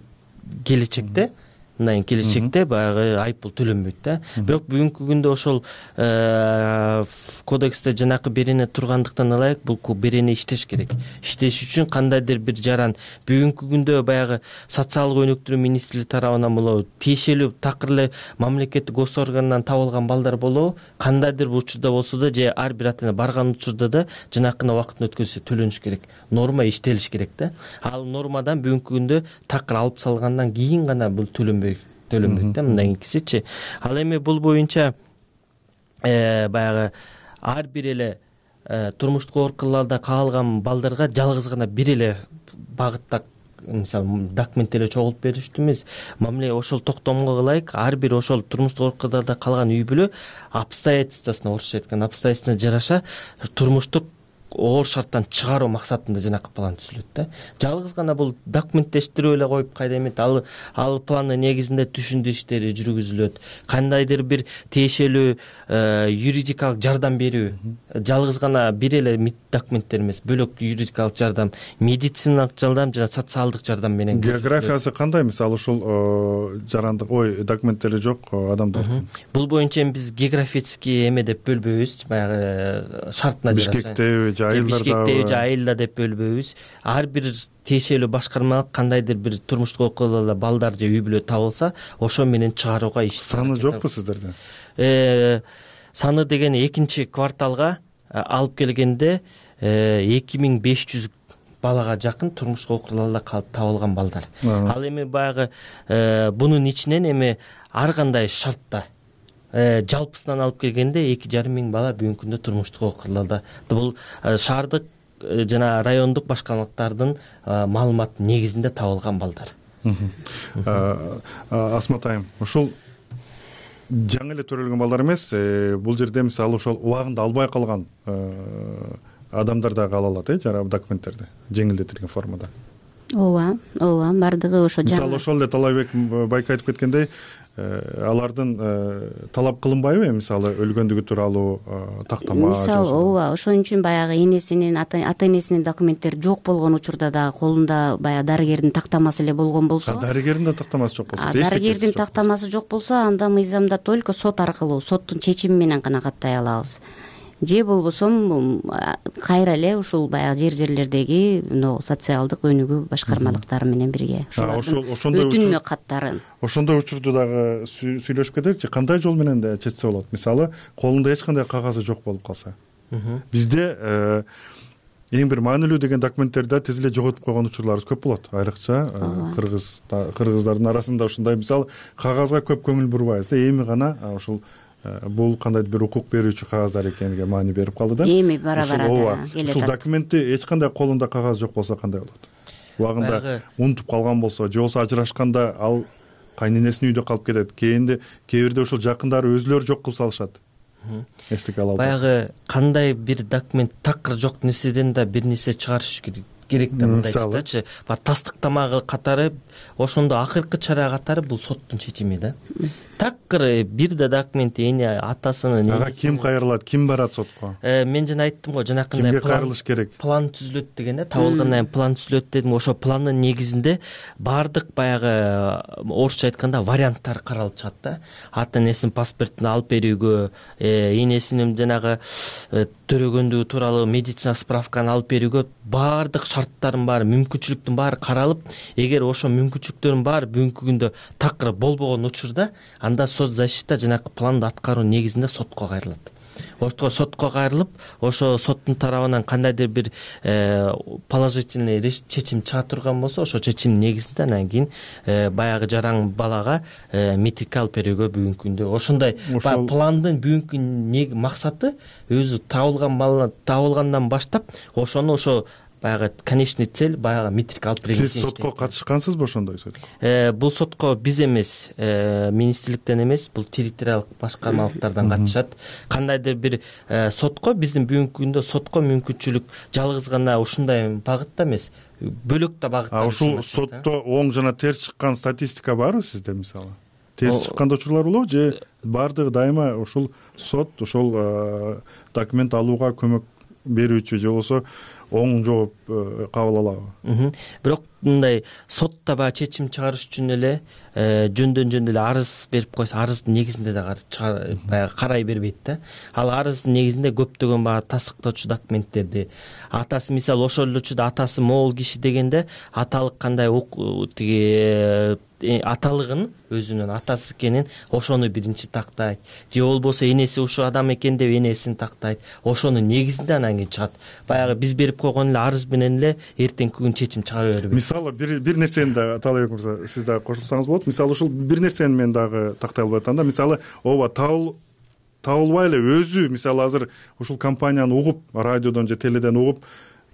келечекте мындан кийин келечекте баягы айыппул төлөнбөйт да. Бирок бүгүнкү күндө ошол кодексте жанакы берене тургандыктан ылайык бул берене иштеш керек. Иштеш үчүн кандайдыр бир жаран бүгүнкү күндө баягы социалдык өнүктүрүү министрлиги тарабынан болобу, тиешелүү такыр эле мамлекеттик гос органдан табылган балдар болобу, кандайдыр бир учурда болсо да же ар бир ата эне барган учурда да жанакыны убактын өткөзүшү төлөнүш керек. Норма иштелиш керек да. Ал нормадан бүгүнкү күндө такыр алып салгандан кийин гана бул төлөнбөй төлөнбөйт да. Мындан кийинкисичи. Ал эми бул боюнча баягы ар бир эле турмуштук оорукаларда каалган балдарга жалгыз гана бир эле багытта мисалы документ эле чогултуп бериштүү эмес. Мамиле ошол токтомго ылайык ар бир ошол турмуштук оорукаларда калган үй бүлө обстоятельствосуна, орусча айтканда обстоятельствосуна жараша турмуштук оор шарттан чыгаруу максатында жанакы план түзүлөт да. Жалгыз гана бул документтештирип эле коюп кайда эмет, ал ал пландын негизинде түшүндүрүү иштери жүргүзүлөт. Кандайдыр бир тиешелүү юридикалык жардам берүү, жалгыз гана бир эле документтер эмес, бөлөк юридикалык жардам, медициналык жардам жана социалдык жардам менен. Географиясы кандай? Мисалы ушул жарандык ой документтери жок адамдардын. Бул боюнча биз географический эме деп бөлбөйбүз, баягы шартына жараша. Бишкектеби, Бишкектеби же айылда деп бөлбөйбүз. Ар бир тиешелүү башкармалык кандайдыр бир турмуштук окуяларда балдар же үй бүлө табылса, ошо менен чыгарууга иш. Саны жокпу сиздерде? Э, саны деген экинчи кварталга алып келгенде эки миң беш жүз балага жакын турмуштук окуяларда табылган балдар. Ал эми баягы бунун ичинен эми ар кандай шартта жалпысынан алып келгенде эки жарым миң бала бүгүнкү күндө турмуштук окуяларда. Бул шаардык жана райондук башкармалыктардын маалыматы негизинде табылган балдар. Асмат айым, ушул жаңы эле төрөлгөн балдар эмес, бул жерде мисалы ошол убагында албай калган адамдар да кала алат, э, жана документтерди жеңилдетилген формада. Ооба, ооба, бардыгы ошо. Мисалы ошол эле Талайбек байке айтып кеткендей, алардын талап кылынбайбы, мисалы өлгөндүгү тууралуу тактама? Мисалы, ооба, ошон үчүн баягы энесинин, ата энесинин документтери жок болгон учурда да колунда баягы дарыгердин тактамасы эле болгон болсо. Дарыгердин да тактамасы жок болсо, дарыгердин тактамасы жок болсо, анда мыйзамда только сот аркылуу, соттун чечими менен гана каттай алабыз. Же болбосо кайра эле ушул баягы жер жерлердеги мына социалдык өнүгүү башкармалыктары менен бирге ушулардын өтүнмө каттарын. Ошондой учурду дагы сүйлөшүп кетеличи, кандай жол менен да чечсе болот? Мисалы, колунда эч кандай кагазы жок болуп калса. Бизде эң бир маанилүү деген документтерди тез эле жоготуп койгон учурларыбыз көп болот. Айрыкча кыргыз кыргыздардын арасында ушундай мисалы кагазга көп көңүл бурбайбыз да, эми гана ушул бул кандайдыр бир укук берүүчү кагаздар экениге маани берип калды да. Эми бара-бара келет. Ушул документти эч кандай колунда кагаз жок болсо кандай болот? Убагында унутуп калган болсо, же болбосо ажырашканда ал кайненесинин үйдө калып кетет. Кийинде кээ бирде ушул жакындары өзүлөрү жок кылып салышат. Эчтеке ала албайт. Баягы кандай бир документ такыр жок нерседен да бир нерсе чыгарыш керек да, мындайчы. Ба тастыктама катары ошондо акыркы чара катары бул соттун чечими да. Такыр бир да документ эне атасынын ага ким кайрылат, ким барат сотко? Мен жана айттым го, жанакындай кимге кайрылыш керек? План түзүлөт деген да, табылгандан кийин план түзүлөт дедим. Ошо пландын негизинде бардык баягы орусча айтканда варианттар каралып чыгат да. Ата энесинин паспортун алып берүүгө, энесинин жанагы төрөгөндүгү тууралуу медицина справканы алып берүүгө бардык шарттардын баары, мүмкүнчүлүктүн баары каралып, эгер ошо мүмкүнчүлүктөрдүн баары бүгүнкү күндө такыр болбогон учурда, анда соцзащита жанакы планды аткаруу негизинде сотко кайрылат. Ошто сотко кайрылып, ошо соттун тарабынан кандайдыр бир положительный чечим чыга турган болсо, ошо чечим негизинде анан кийин баягы жаран балага метрик алып берүүгө бүгүнкү күндө ошондой пландын бүгүнкү максаты өзү табылган бала табылгандан баштап ошону ошо баягы конечный цель баягы метрик алып берген. Сиз сотко катышкансызбы ошондой сот? Бул сотко биз эмес, министрликтен эмес, бул территориалдык башкармалыктардан катышат. Кандайдыр бир сотко, биздин бүгүнкү күндө сотко мүмкүнчүлүк жалгыз гана ушундай багытта эмес, бөлөк да багытта. А ушул сотто оң жана терс чыккан статистика барбы сизде мисалы? терс чыккан да учурлар болобу же баардыгы дайыма ушул сот ошол документ алууга көмөк берүүчү же болбосо оң жооп кабыл алабы? Бирок мындай сотто баягы чечим чыгарыш үчүн эле жөндөн жөн эле арыз берип койсо, арыздын негизинде да баягы карай бербейт да. Ал арыздын негизинде көптөгөн баягы тастыктоочу документтерди, атасы мисалы ошол эле учурда атасы могул киши дегенде аталык кандай тиги аталыгын өзүнүн атасы экенин ошону биринчи тактайт, же болбосо энеси ушул адам экен деп энесин тактайт, ошонун негизинде анан кийин чыгат. Баягы биз берип койгон эле арыз менен эле эртеңки күн чечим чыгара бербейт. Мисалы бир бир нерсени да Аталбек мырза, сиз дагы кошулсаңыз болот. Мисалы ушул бир нерсени мен дагы тактай албай атам да. Мисалы ооба табыл табылбай эле өзү мисалы азыр ушул компанияны угуп, радиодон же теледен угуп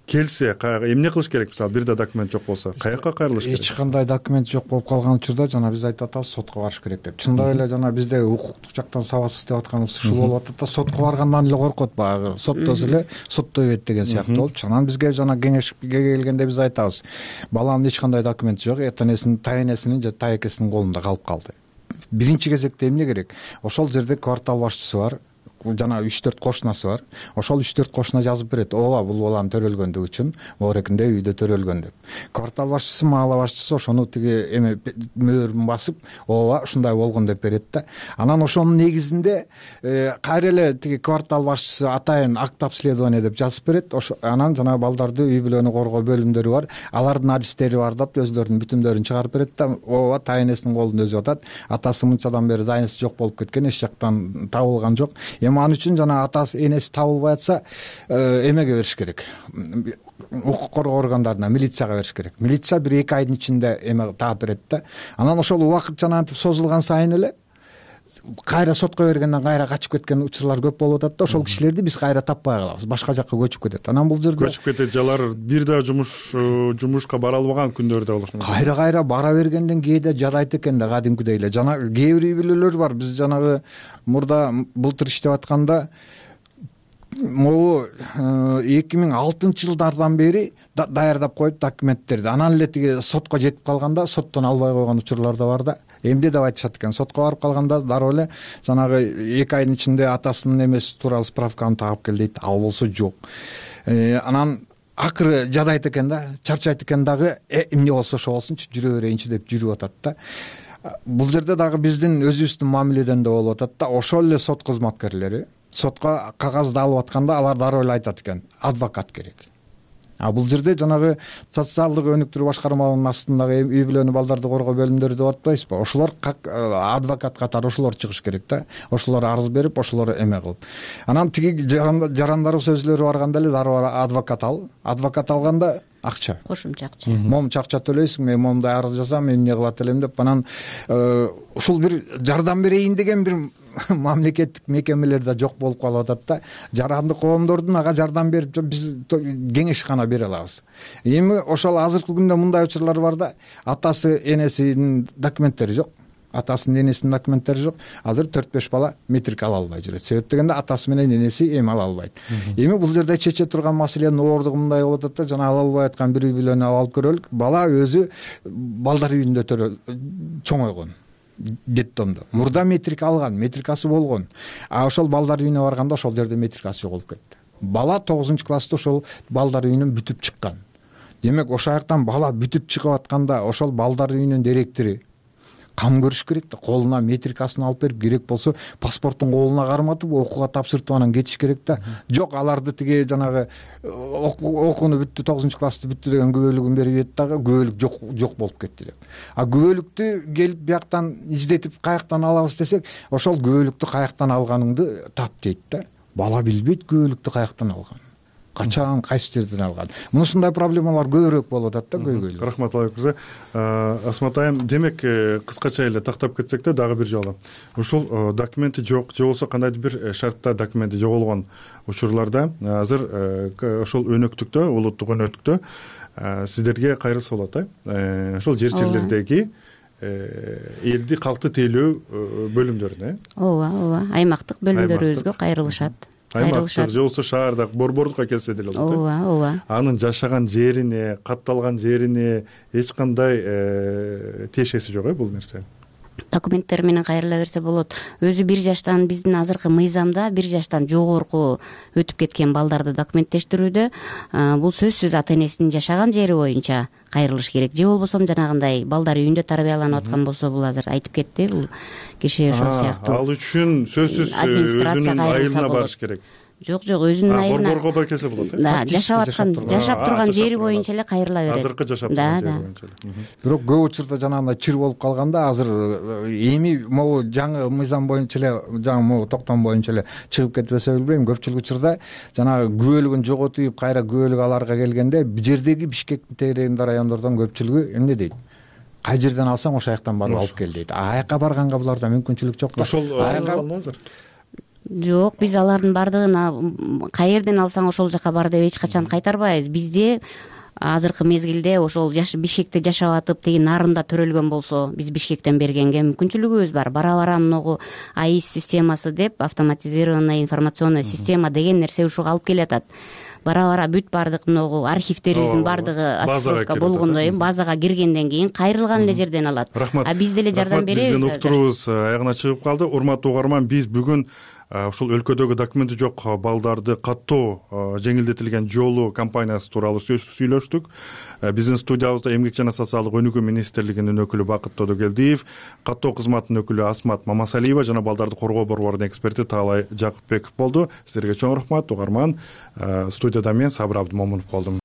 келсе, эмне кылыш керек? Мисалы бир да документ жок болсо, каяка кайрылыш керек? Эч кандай документ жок болуп калган учурда жана биз айтып атабыз сотко барыш керек деп. Чындап эле жана бизде укуктук жактан сабатсыз деп атканыбыз ушул болуп атат да, сотко баргандан эле коркот, баягы соттосо эле соттой берет деген сыяктуу болуп. Анан бизге жана кеңешке келгенде биз айтабыз, баланын эч кандай документи жок, этенесинин, тайэнесинин же тайэкесинин колунда калып калды. Биринчи кезекте эмне керек? Ошол жерде квартал башчысы бар, жана үч төрт кошунасы бар. Ошол үч төрт кошуна жазып берет, ооба бул баланын төрөлгөндүгү үчүн моорекинде үйдө төрөлгөн деп. Квартал башчысы, маала башчысы ошону тиги эме мөөрүн басып, ооба ушундай болгон деп берет да. Анан ошонун негизинде кайра эле тиги квартал башчысы атайын акт обследование деп жазып берет. Анан жана балдарды үй бүлөнү коргоо бөлүмдөрү бар, алардын адистери бар деп өздөрүнүн бүтүмдөрүн чыгарып берет да. Ооба тайэнесинин колунда өзү атат. Атасы мынчадан бери тайэнеси жок болуп кеткен, эч жактан табылган жок. Ал үчүн жана атасы энеси табылбай атса, эмеге бериш керек. Укук коргоо органдарына, милицияга бериш керек. Милиция бир эки айдын ичинде эме таап берет да. Анан ошол убакыт жанагынтип созулган сайын эле кайра сотко бергенден кайра качып кеткен учурлар көп болуп атат да. Ошол кишилерди биз кайра таппай калабыз, башка жакка көчүп кетет. Анан бул жерде көчүп кетет, жалар бир да жумуш жумушка бара албаган күндөрдө болушу мүмкүн. Кайра кайра бара бергенден кээде жадайт экен да, кадимкидей эле. Жана кээ бир үй бүлөлөр бар. Биз жанагы мурда былтыр иштеп атканда могу эки миң алтынчы жылдардан бери даярдап коюп документтерди. Анан эле тиги сотко жетип калганда соттон албай койгон учурлар да бар да. Эмне деп айтышат экен? Сотко барып калганда дароо эле жанагы эки айдын ичинде атасынын эмеси тууралуу справканы таап кел дейт. Ал болсо жок. Анан акыры жадайт экен да, чарчайт экен дагы, эмне болсо ошо болсунчу, жүрө берейинчи деп жүрүп атат да. Бул жерде дагы биздин өзүбүздүн мамиледен да болуп атат да. Ошол эле сот кызматкерлери сотко кагазды алып атканда алар дароо эле айтат экен, адвокат керек. А бул жерде жанагы социалдык өнүктүрүү башкармаларынын астындагы үй бүлөнү балдарды коргоо бөлүмдөрү деп атпайсызбы? Ошолор как адвокат катары ошолор чыгыш керек да. Ошолор арыз берип, ошолор эме кылып. Анан тиги жарандарыбыз өзүлөрү барганда эле дароо адвокат ал. Адвокат алганда акча, кошумча акча, момча акча төлөйсүң, мен момундай арыз жазам, мен эмне кылат элем деп. Анан ушул бир жардам берейин деген бир мамлекеттик мекемелер да жок болуп калып атат да. Жарандык коомдордун ага жардам берип биз кеңеш гана бере алабыз. Эми ошол азыркы күндө мындай учурлар бар да, атасы энесинин документтери жок, атасынын энесинин документтери жок. Азыр төрт беш бала метрик ала албай жүрөт. Себеп дегенде атасы менен энеси эми ала албайт. Эми бул жерде чече турган маселенин оордугу мындай болуп атат да, жана ала албай аткан бир үй бүлөнү алып көрөлүк. Бала өзү балдар үйүндө чоңойгон. Детдомдо. Мурда метрик алган, метрикасы болгон. А ошол балдар үйүнө барганда ошол жерде метрикасы жоголуп кетти. Бала тогузунчу класста ошол балдар үйүнөн бүтүп чыккан. Демек ошол жактан бала бүтүп чыгып атканда ошол балдар үйүнүн директори кам көрүш керек да, колуна метрикасын алып берип, керек болсо паспорттун колуна карматып окууга тапшыртып анан кетиш керек да. Жок, аларды тиги жанагы окууну бүттү, тогузунчу классты бүттү деген күбөлүгүн берип ийет дагы, күбөлүк жок жок болуп кетти деп. А күбөлүктү келип бияктан издетип каяктан алабыз десек, ошол күбөлүктү каяктан алганыңды тап дейт да. Бала билбейт күбөлүктү каяктан алганын, качан, кайсы жерден алган. Мына ушундай проблемалар көбүрөөк болуп атат да көйгөйлүү. Рахмат Аталбек мырза. Асмат айым, демек кыскача эле тактап кетсек да дагы бир жолу. Ушул документи жок, же болбосо кандайдыр бир шартта документи жоголгон учурларда азыр ошол өнөктүктө, улуттук өнөктүктө сиздерге кайрылса болот да. Ошол жер жерлердеги элди калкты тейлөө бөлүмдөрүнө. Ооба, ооба. Аймактык бөлүмдөрүбүзгө кайрылышат. Аймактык же болбосо шаарда борбордукка келсе деле болот. Ооба, ооба. Анын жашаган жерине, катталган жерине эч кандай тиешеси жок э бул нерсе. документтер менен кайрыла берсе болот. Өзү бир жаштан биздин азыркы мыйзамда бир жаштан жогорку өтүп кеткен балдарды документтештирүүдө бул сөзсүз ата энесинин жашаган жери боюнча кайрылыш керек. Же болбосо жанагындай балдар үйүндө тарбияланып аткан болсо, бул азыр айтып кетти бул киши ошол сыяктуу. Ал үчүн сөзсүз өзүнүн айылына барыш керек. Жок жок өзүнүн айылына борборго келсе болот. Да, жашап аткан, жашап турган жери боюнча эле кайрыла берет. Азыркы жашап турган жери боюнча эле. Бирок көп учурда жанагындай чыр болуп калганда азыр эми могу жаңы мыйзам боюнча эле, жаңы могу токтом боюнча эле чыгып кетпесе билбейм, көпчүлүк учурда жанагы күбөлүгүн жоготуп, кайра күбөлүк аларга келгенде бул жердеги Бишкектин тегерегинде райондордон көпчүлүгү эмне дейт? Кай жерден алсаң ошол жактан барып алып кел дейт. Аяка барганга буларда мүмкүнчүлүк жок да. Ошол салынды азыр. Жок, биз алардын бардыгын кай жерден алсаң ошол жака бар деп эч качан кайтарбайбыз. Бизде азыркы мезгилде ошол Бишкекте жашап атып тиги нарында төрөлгөн болсо, биз Бишкектен бергенге мүмкүнчүлүгүбүз бар. Бара-бара могу АИС системасы деп, автоматизированная информационная система деген нерсе ушуга алып келатат. Бара-бара бүт бардык могу архивтерибиздин бардыгы отсылка болгондой базага киргенден кийин кайрылган эле жерден алат. А биз деле жардам беребиз. Биздин уктуруубуз аягына чыгып калды. Урматтуу угарман, биз бүгүн ушул өлкөдөгү документи жок балдарды каттоо жеңилдетилген жолу компаниясы тууралуу сүйлөштүк. Биздин студиябызда эмгек жана социалдык өнүгүү министрлигинин өкүлү Бакыт Тодогелдиев, каттоо кызматынын өкүлү Асмат Мамасалиева жана балдарды коргоо борборунун эксперти Таалай Жакыпбеков болду. Сиздерге чоң рахмат, угарман. Студияда мен Сабыр Абдымомунов болдум.